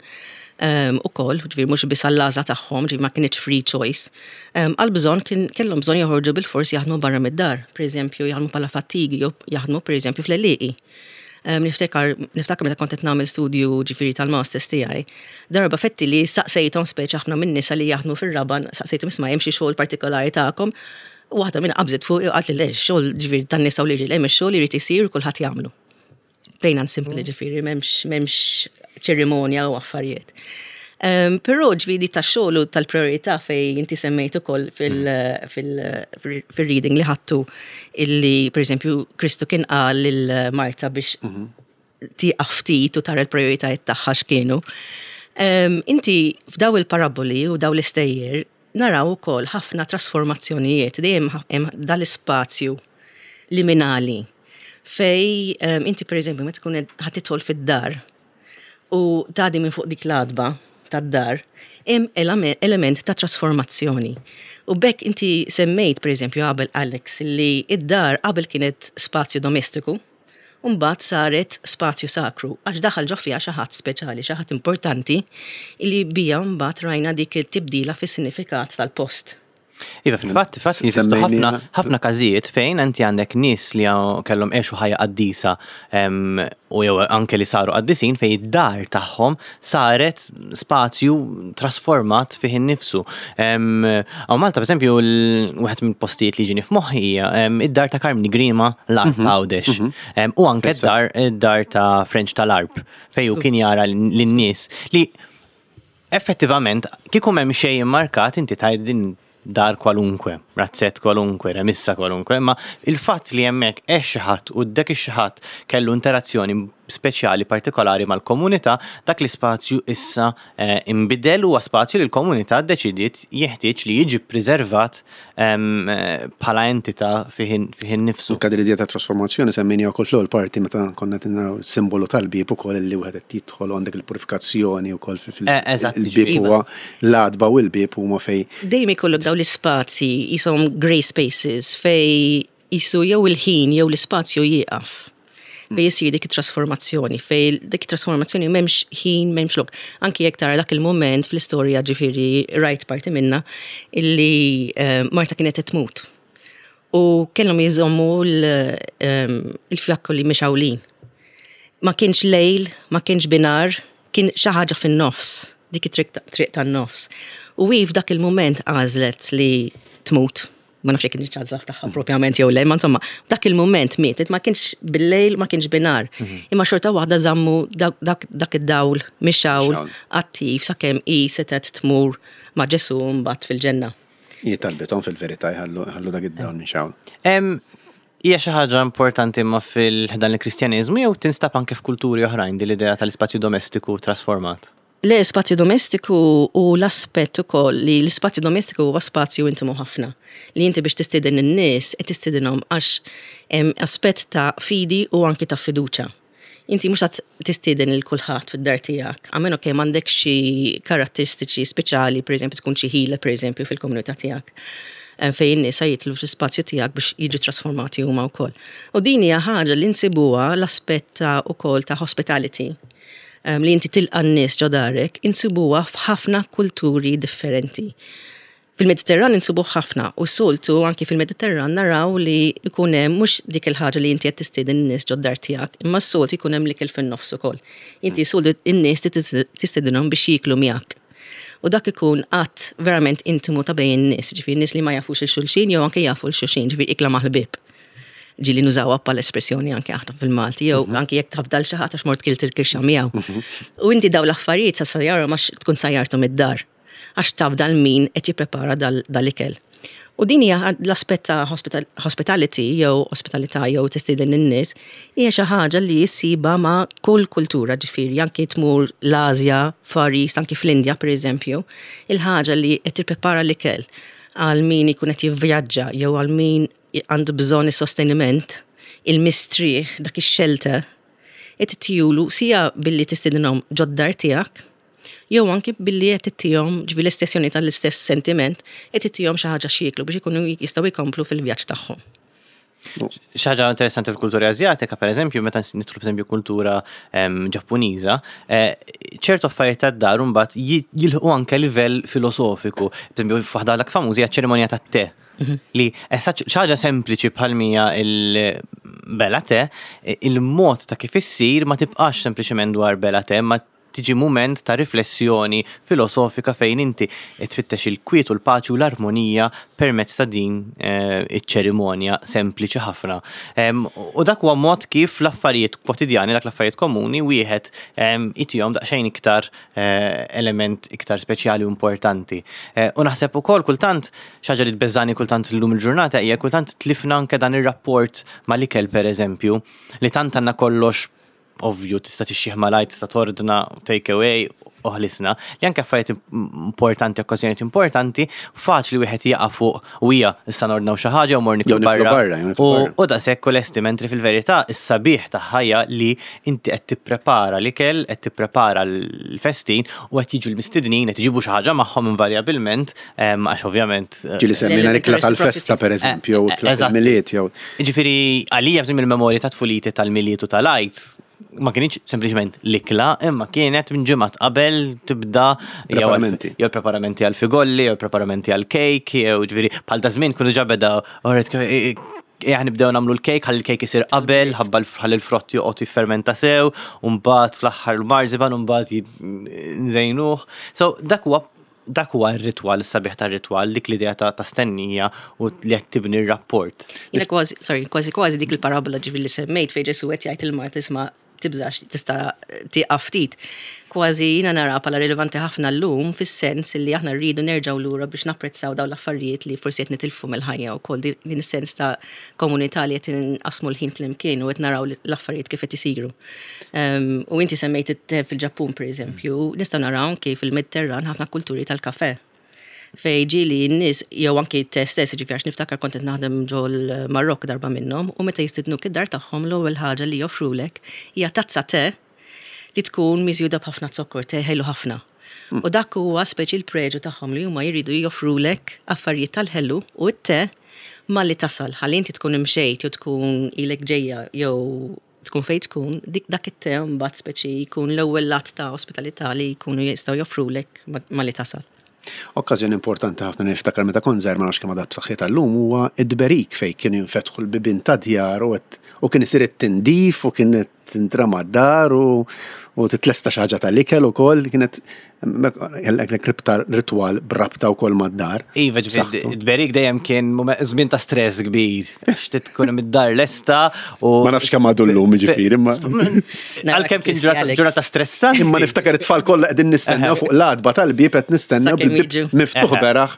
ukoll, ġifieri mhux biss għall-għażla tagħhom, ġifieri ma kinitx free choice, għal bżonn kien kellhom bżonn joħorġu bilfors jaħdmu barra mid-dar, pereżempju jaħdmu bħala fattigi jew jaħdmu pereżempju fl-għelieqi. Niftakar, niftakar meta kont qed nagħmel studju ġifieri tal-masters tiegħi, darba fetti li saqsejthom speċi ħafna minn nisa li jaħdmu fir-raba' saqsejthom isma' hemm xi xogħol partikolari tagħkom. U waħda minn qabżet fuq u qalt li le, xogħol ġifieri tan-nisa u l-irġiel hemm ix-xogħol irid isir u kulħadd jagħmlu. Plain and simple ġifieri m'hemmx m'hemmx ċerimonja u affarijiet. Però ġifieri tax-xogħol u tal-priorità fej inti semmejt ukoll fil-reading li ħadtu illi pereżempju Kristu kien qal lil Marta biex tieqaf ftit u tara l-prijoritajiet tagħha x'kienu. Inti f'daw il-paraboli u daw l-istejjer naraw ukoll ħafna trasformazzjonijiet, dejjem hemm dal-ispazju liminali fej inti pereżempju meta tkun ħa tidħol fid-dar u tgħaddi minn fuq dik l-għatba tad-dar, hemm element ta' trasformazzjoni. U b'hekk inti semmejt pereżempju qabel Alex li id-dar qabel kienet spazju domestiku, u mbagħad saret spazju sakru għax daħal ġo fiha xi ħadd speċjali, xi ħadd importanti li bija mbagħad rajna dik it-tibdila fis-sinifikat tal-post. Iva, fil-fatt, fil-fatt jeżistu ħafna ħafna każijiet fejn inti għandek nies li kellhom għexu ħajja qaddisa u jew anke li saru qaddisin fejn id-dar tagħhom saret spazju trasformat fih innifsu. Hawn Malta, pereżempju, wieħed mill-postijiet li jiġini f'moħħi hija id-dar ta' Karmni Grima l-Għarb Għawdex. U anke d-dar ta' Frenċ tal-Għarb fejn hu kien jara lin-nies li Effettivament, kieku m'hemm xejn immarkat inti tgħid din dar kwalunkwe, razzett kwalunkwe, remissa kwalunkwe, imma il-fatt li hemmhekk għex xi ħadd u dak ix-xi ħadd kellu interazzjoni speċjali partikolari mal-komunità, dak l-ispazju issa inbidel u huwa spazju li l-komunità ddeċidiet jeħtieġ li jiġi ppriservat bħala entità fih innifsu. Anke din l-idea ta' trasformazzjoni semmejniha wkoll fl-ewwel parti meta konna qed naraw is-simbolu tal-bieb ukoll li wieħed qed jidħol u għandek il-purifikazzjoni wkoll fil-bieb huwa l-għatba u l-bieb huma fejn. Dejjem ikollok dawn l-ispazji qishom grey spaces fejn qisu jew il-ħin jew l-ispazju jieqaf. Fejn issir dik it-trasformazzjoni, fejn dik it-trasformazzjoni m'hemmx ħin, m'hemmx lok. Anki jekk tara dak il-mument fl-istorja ġifieri rajt parti minna illi eh, Marta kienet qed tmut. U kellhom jżommu eh, il-fjakkoli mixawlin. Ma kienx lejl, ma kienx binar, kien xi ħaġa fin-nofs, dik it-triq tan-nofs. U hi f'dak il-mument għażlet li tmut ma nafx jekk kienx għażla tagħha propjament jew le, ma insomma, dak il-mument mietet ma kienx bil-lejl, ma kienx binar. Mhm. Imma xorta waħda żammu dak id-dawl mixawl attiv sakemm hi setgħet tmur ma' Ġesu mbagħad fil-ġenna. Hi talbithom fil-verità jħallu dak id-dawl mixawl. Hija xi ħaġa importanti imma fil-ħdan il-Kristjaneżmu jew tinstab anke f'kulturi oħrajn din l-idea tal-ispazju domestiku trasformat? Le, spazju domestiku u l-aspett ukoll li l-ispazju domestiku huwa spazju intimu ħafna. Li inti biex tistieden in-nies qed tistidinhom għax hemm aspett ta' fidi u anki ta' fiduċa. Inti mhux qed tistieden lil kulħadd fid-dar tiegħek, a meno che m'għandekx xi karatteristiċi speċjali, pereżempju tkun xi ħila pereżempju fil-komunità tiegħek eh, fejn in-nies jitlu fl-ispazju tiegħek biex jiġu trasformati huma wkoll. U din hija ħaġa li nsibuha l-aspett ta' ukoll ta' hospitality li inti tilqa' n-nies ġo darek, insibuha f'ħafna kulturi differenti. Fil-Mediterran insibuh ħafna u s-soltu anki fil-Mediterran naraw li jkun hemm mhux dik il-ħaġa li inti qed tistieden in-nies ġod-dar tiegħek, imma s-soltu jkun hemm l-ikel fin-nofs ukoll. Inti s-soltu in-nies tistedinhom biex jieklu miegħek. U dak ikun att verament intimu ta' bejn in-nies, ġifieri nies li ma jafux 'il xulxin jew anke jafu 'l xulxin, ġifieri ikla ma' ħbieb. Ġieli nużawha bħala espressjoni anke aħna fil-Malti, jew mhm. anke jekk tafdal xi ħadd għax mort kilt il-kirxa miegħu. Mhm. U inti daw l-affarijiet sa sajjarhom għax tkun sajjarthom id-dar. Għax tafdal min qed jipprepara dal-ikel. U din hija l-aspett ta' hospitality jew ospitalità jew tistieden in-nies hija xi ħaġa li ssiba ma' kull kultura ġifieri anke tmur l-Asja, Far East, anke fl-Indja pereżempju, il-ħaġa li qed tipprepara l-ikel għal min ikun qed jivvjaġġa jew għal min għandu bżonn is-sosteniment, il-mistrieħ, dak ix-shelter, qed ittihulu sija billi tistedinhom ġod-dar tiegħek, jew anki billi qed ittihom, ġifieri l-estensjoni tal-istess sentiment, qed ittihom xi ħaġa x'jieklu biex ikunu jistgħu jkomplu fil-vjaġġ tagħhom. Xi ħaġa interessanti fil-kultura Asjatika, per eżempju, meta nidħlu pereżempju kultura Ġappuniża, ċertu affarijiet tad-dar imbagħad jilħqu anke livell filosofiku. Per eżempju, f'waħda l famużi hija ċ-ċerimonja tat-te. Li xi ħaġa sempliċi bħal mija il-bela te, il-mod ta' kif issir ma tibqax sempliċement dwar bela te, ma tiġi mument ta' riflessjoni filosofika fejn inti tfittex il-kwiet u l-paċi u l-armonija permezz ta' din iċ-ċerimonja sempliċi ħafna. U dak huwa mod kif l-affarijiet kwotidjani, dak l-affarijiet komuni, wieħed itihom daqsxejn iktar element iktar speċjali u importanti. U naħseb ukoll kultant, xi ħaġa li tbeżżagħni kultant illum il-ġurnata hija kultant tlifna anke dan ir-rapport mal-ikel pereżempju, li tant għandna kollox ovvju tista' tixxih malajr, tista' tordna take away u ħlisna, li anke affarijiet importanti, okkażjonijiet importanti, faċli wieħed jaqa' fuq u hija issa nordnaw xi ħaġa u mor niklu barra. U daqshekk u lesti, mentri fil-verità is-sabiħ ta' ħajja li inti qed tipprepara l-ikel, qed tipprepara l-festin u qed jiġu l-mistednin, qed iġibu xi ħaġa magħhom invarjabilment, għax ovvjament. Ġieli semmejna l-ikla tal-festa pereżempju, jew ikla tal-Milied jew. Jiġifieri għalija bżonn il-memorja ta' tfuliti tal-Milied u tal-Għid ma kinitx sempliċement l-ikla, imma kienet minn ġimgħat qabel tibda Preparamenti. jew preparamenti għal figolli, jew preparamenti għal kejk, jew ġifieri bħal ta' żmien kienu ġa beda Ejja nibdew nagħmlu l-kejk, ħalli l-kejk isir qabel, ħabba ħalli l-frott joqgħod jiffermenta sew, u mbagħad fl-aħħar l-marzipan u mbagħad nżejnuh. So dak huwa dak huwa r-ritwal, is-sabiħ tar-ritwal, dik l-idea ta' ta' stennija u li qed tibni r-rapport. Jiena kważi, sorry, kważi kważi dik il-parabola ġifieri li semmejt fejn Ġesù qed jgħid lil Marta isma' tibżax tista' tieqaf ftit. Kważi jiena nara bħala rilevanti ħafna llum fis-sens li aħna rridu nerġgħu lura biex napprezzaw dawn l-affarijiet li forsi qed nitilfu mill-ħajja wkoll din is-sens ta' komunità li qed inqassmu l-ħin flimkien u qed naraw l-affarijiet kif qed isiru. U inti semmejt it-te fil-Ġappun pereżempju, nistgħu naraw anki fil-Mediterran ħafna kulturi tal-kafè. Fejn ġieli n-nies jew anki t-te stess, jiġifieri għax niftakar kont qed naħdem ġol-Marokk darba minnhom u meta jistidnuk id-dar tagħhom l-ewwel ħaġa li joffrulek hija tazza te li tkun miżjuda b'ħafna zokkor, te ħelu ħafna. U dak huwa speċi l-preġu tagħhom li huma jridu joffrulek affarijiet tal-ħelu u t-te malli tasal ħalli inti tkun imxejt jew tkun ilek ġejja jew tkun fejn tkun, dik dak it-te mbagħad speċi jkun l-ewwel att ta' ospitalità li jkunu jistgħu joffrulek malli tasal. Okkażjoni importanti ħafna li niftakar meta kont żgħir ma nafx kemm għadha b'saħħitha llum huwa t-tberik fejn kienu jinfetħu l-bibien tad-djar u u kien isir it-tindif u kienet tintrama d-dar u u titlesta xi ħaġa tal-ikel ukoll kienet kellek ribta ritwal b'rabta wkoll mad-dar. Iva, ġifieri t-tberik dejjem kien żmien ta' stress kbir għax trid tkun hemm id-dar lesta u. Ma nafx kemm għadu llum jiġifieri imma. Għalkemm kien ġurnata stressanti. Imma niftakar it-tfal kollha qegħdin nistennew fuq l-għatba tal-bieb qed nistennew bil-bieb miftuħ beraħ.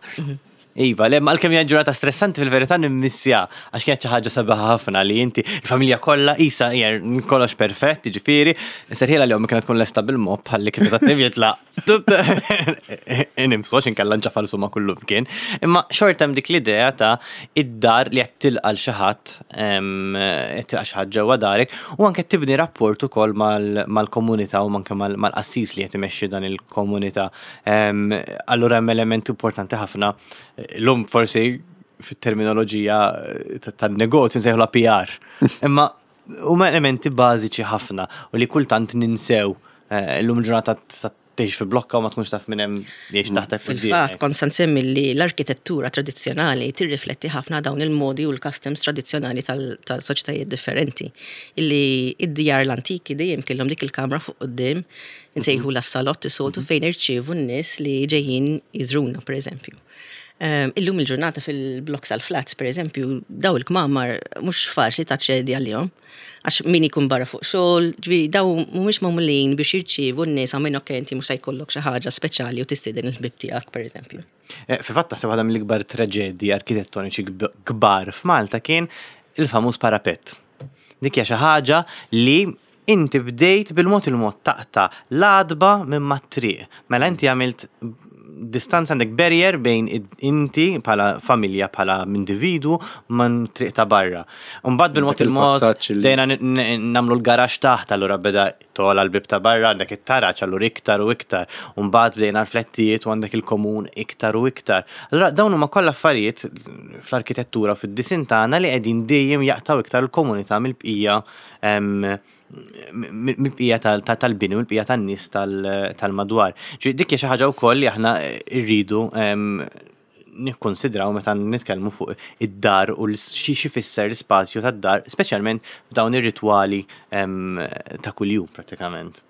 Iva, le, għalkemm hija ġurnata stressanti fil-verità nimmissja għax kienet xi ħaġa sabiħa ħafna li inti il-familja kollha isa hija kollox perfett, jiġifieri, serħilha li ommi kienet tkun lesta bil-mopp ħalli kif eżatt jitlaq. Nimsu għax inkella nċafalsu ma' kullu mkien. Imma xorta hemm dik l-idea ta' id-dar li qed tilqa' l xi ħadd, qed tilqa' xi ħadd ġewwa darek u anke tibni rapport ukoll mal-komunità u anke mal-qassis li qed imexxi dan il-komunità. Allura hemm element importanti ħafna. Illum forsi fit-terminoloġija tan-negozju nsejħulha PR. Imma huma elementi bażiċi ħafna u li kultant ninsew. Eh, illum ġurnata tista' tgħix fi blokka u ma tkunx taf minn hemm jgħix taħtek Fil-fatt kont se nsemmi li l-arkitettura tradizzjonali tirrifletti ħafna dawn il-modi u l-customs tradizzjonali tal-soċjetajiet differenti. Illi id-djar l-antiki dejjem kellhom dik il-kamra fuq quddiem Insejħulha s-salott is-soltu fejn irċievu n-nies li ġejjin jiżruna, pereżempju. Ehm, illum il-ġurnata fil-blocks għal-flats, pereżempju, daw il-kmamar mhux faċli taċċedi għalihom. Għax min ikun barra fuq xogħol, ġifieri daw mhumiex magħmulin biex jirċievu n-nies għammin ok inti mhux se jkollok xi ħaġa speċjali u tistieden il-ħbieb tiegħek, pereżempju. Eh, fil-fatt taħseb waħda mill-ikbar traġedji arkitettoniċi kbar f'Malta kien il-famuż parapett. Dik hija xi ħaġa li Inti bdejt bil-mod il-mod taqta' l-għatba minn mat-triq. Mela inti għamilt distanza għandek barrier bejn inti bħala familja bħala individu man triq ta' barra. Mbagħad bil-mod il-mod dejna nagħmlu l-garaxx taħt allura beda togħla l-bib ta' barra għandek it-taraġ allura iktar u iktar. Mbagħad bdejna l-flettijiet u għandek il-komun iktar u iktar. Allura dawn huma kollha affarijiet fl-arkitettura u fid-disin tagħna li qegħdin dejjem jaqtgħu iktar il-komunità mill-bqija mill-bqija tal-bini u l-bqija tan-nies tal-madwar. Dik hija xi ħaġa wkoll li aħna rridu nikkonsidraw meta nitkellmu fuq id-dar u xi xifisser l-ispazju tad-dar, speċjalment f'dawn ir-ritwali ta' kuljum prattikament.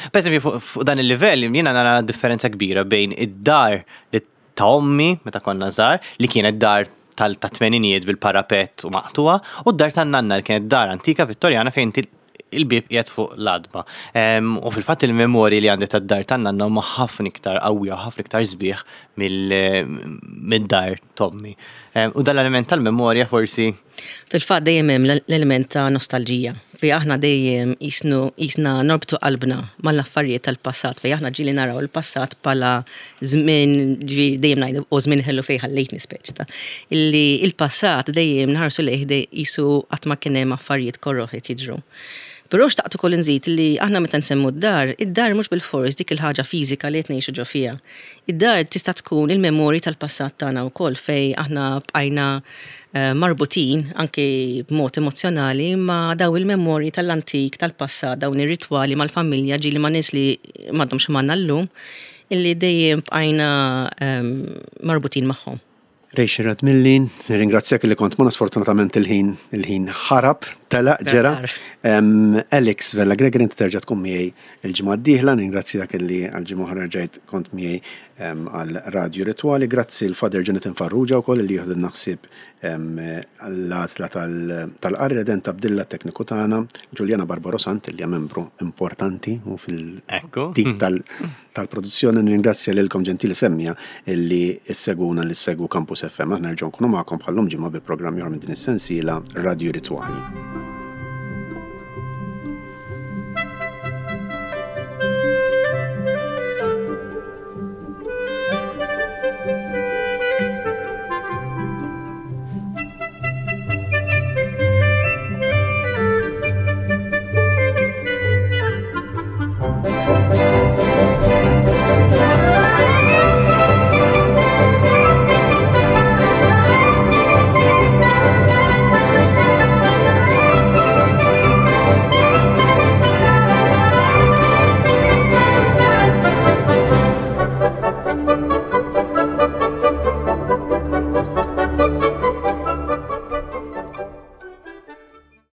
Per eżempju, fuq dan il-livell, jiena nara differenza kbira bejn id-dar li ta' ommi meta konna żgħar, li kienet dar tal-tmeninijiet bil-parapett u maqtugħa, u d-dar tan-nanna li kienet dar antika Vittorjana fejn il-bieb qiegħed fuq l-għatba. U fil-fatt il-memorji li għandi tad-dar tan-nanna huma ħafna iktar qawwija u ħafna iktar sbieħ mid-dar t'ommi. U dan l-element tal-memorja forsi. Fil-fatt dejjem hemm l-element ta' nostalġija fejn aħna dejjem qisnu qisna norbtu qalbna mal-affarijiet tal-passat fejn aħna ġieli naraw il-passat bħala żmien ġifieri dejjem ngħidu o żmien ħelu fejn ħallejtni speċi ta' illi il-passat dejjem nħarsu lejh qisu qatt ma kien hemm affarijiet koroh qed jiġru. Però xtaqt ukoll inżid li aħna meta nsemmu d-dar, id-dar mhux bilfors dik il-ħaġa fiżika li qed ngħixu ġo fiha. Id-dar tista' tkun il-memorji tal-passat tagħna wkoll fejn aħna bqajna marbutin anki b'mod emozzjonali ma' daw il-memorji tal-antik, tal-passat, dawn ir-ritwali mal-familja ġieli ma' nies li m'għadhomx magħna llum, illi dejjem bqajna marbutin magħhom. Rachel Radmilli, nirringrazzjak li kont magħna sfortunatament il-ħin il-ħin ħarab, telaq ġera. Alex Vella Gregory inti terġa' tkun miegħi il-ġimgħa d-dieħla, nirringrazzjak li għal ġimgħa oħra rġajt kont miegħi għal Radju Ritwali. Grazzi l-Father Jonathan Farrugia wkoll li jieħdilna ħsieb l-għażla tal-qari, Redent Abdilla t-tekniku tagħna, Juliana Barbaro Sant li hija membru importanti u fil-tim tal-produzzjoni. Nirringrazzja lilkom ġentili semmiegħa li ssegwuna li ssegwu Campus FM. Aħna nerġgħu nkunu magħkom bħal-lum ġimgħa bi programm ieħor minn din is-sensiela Radju Ritwali.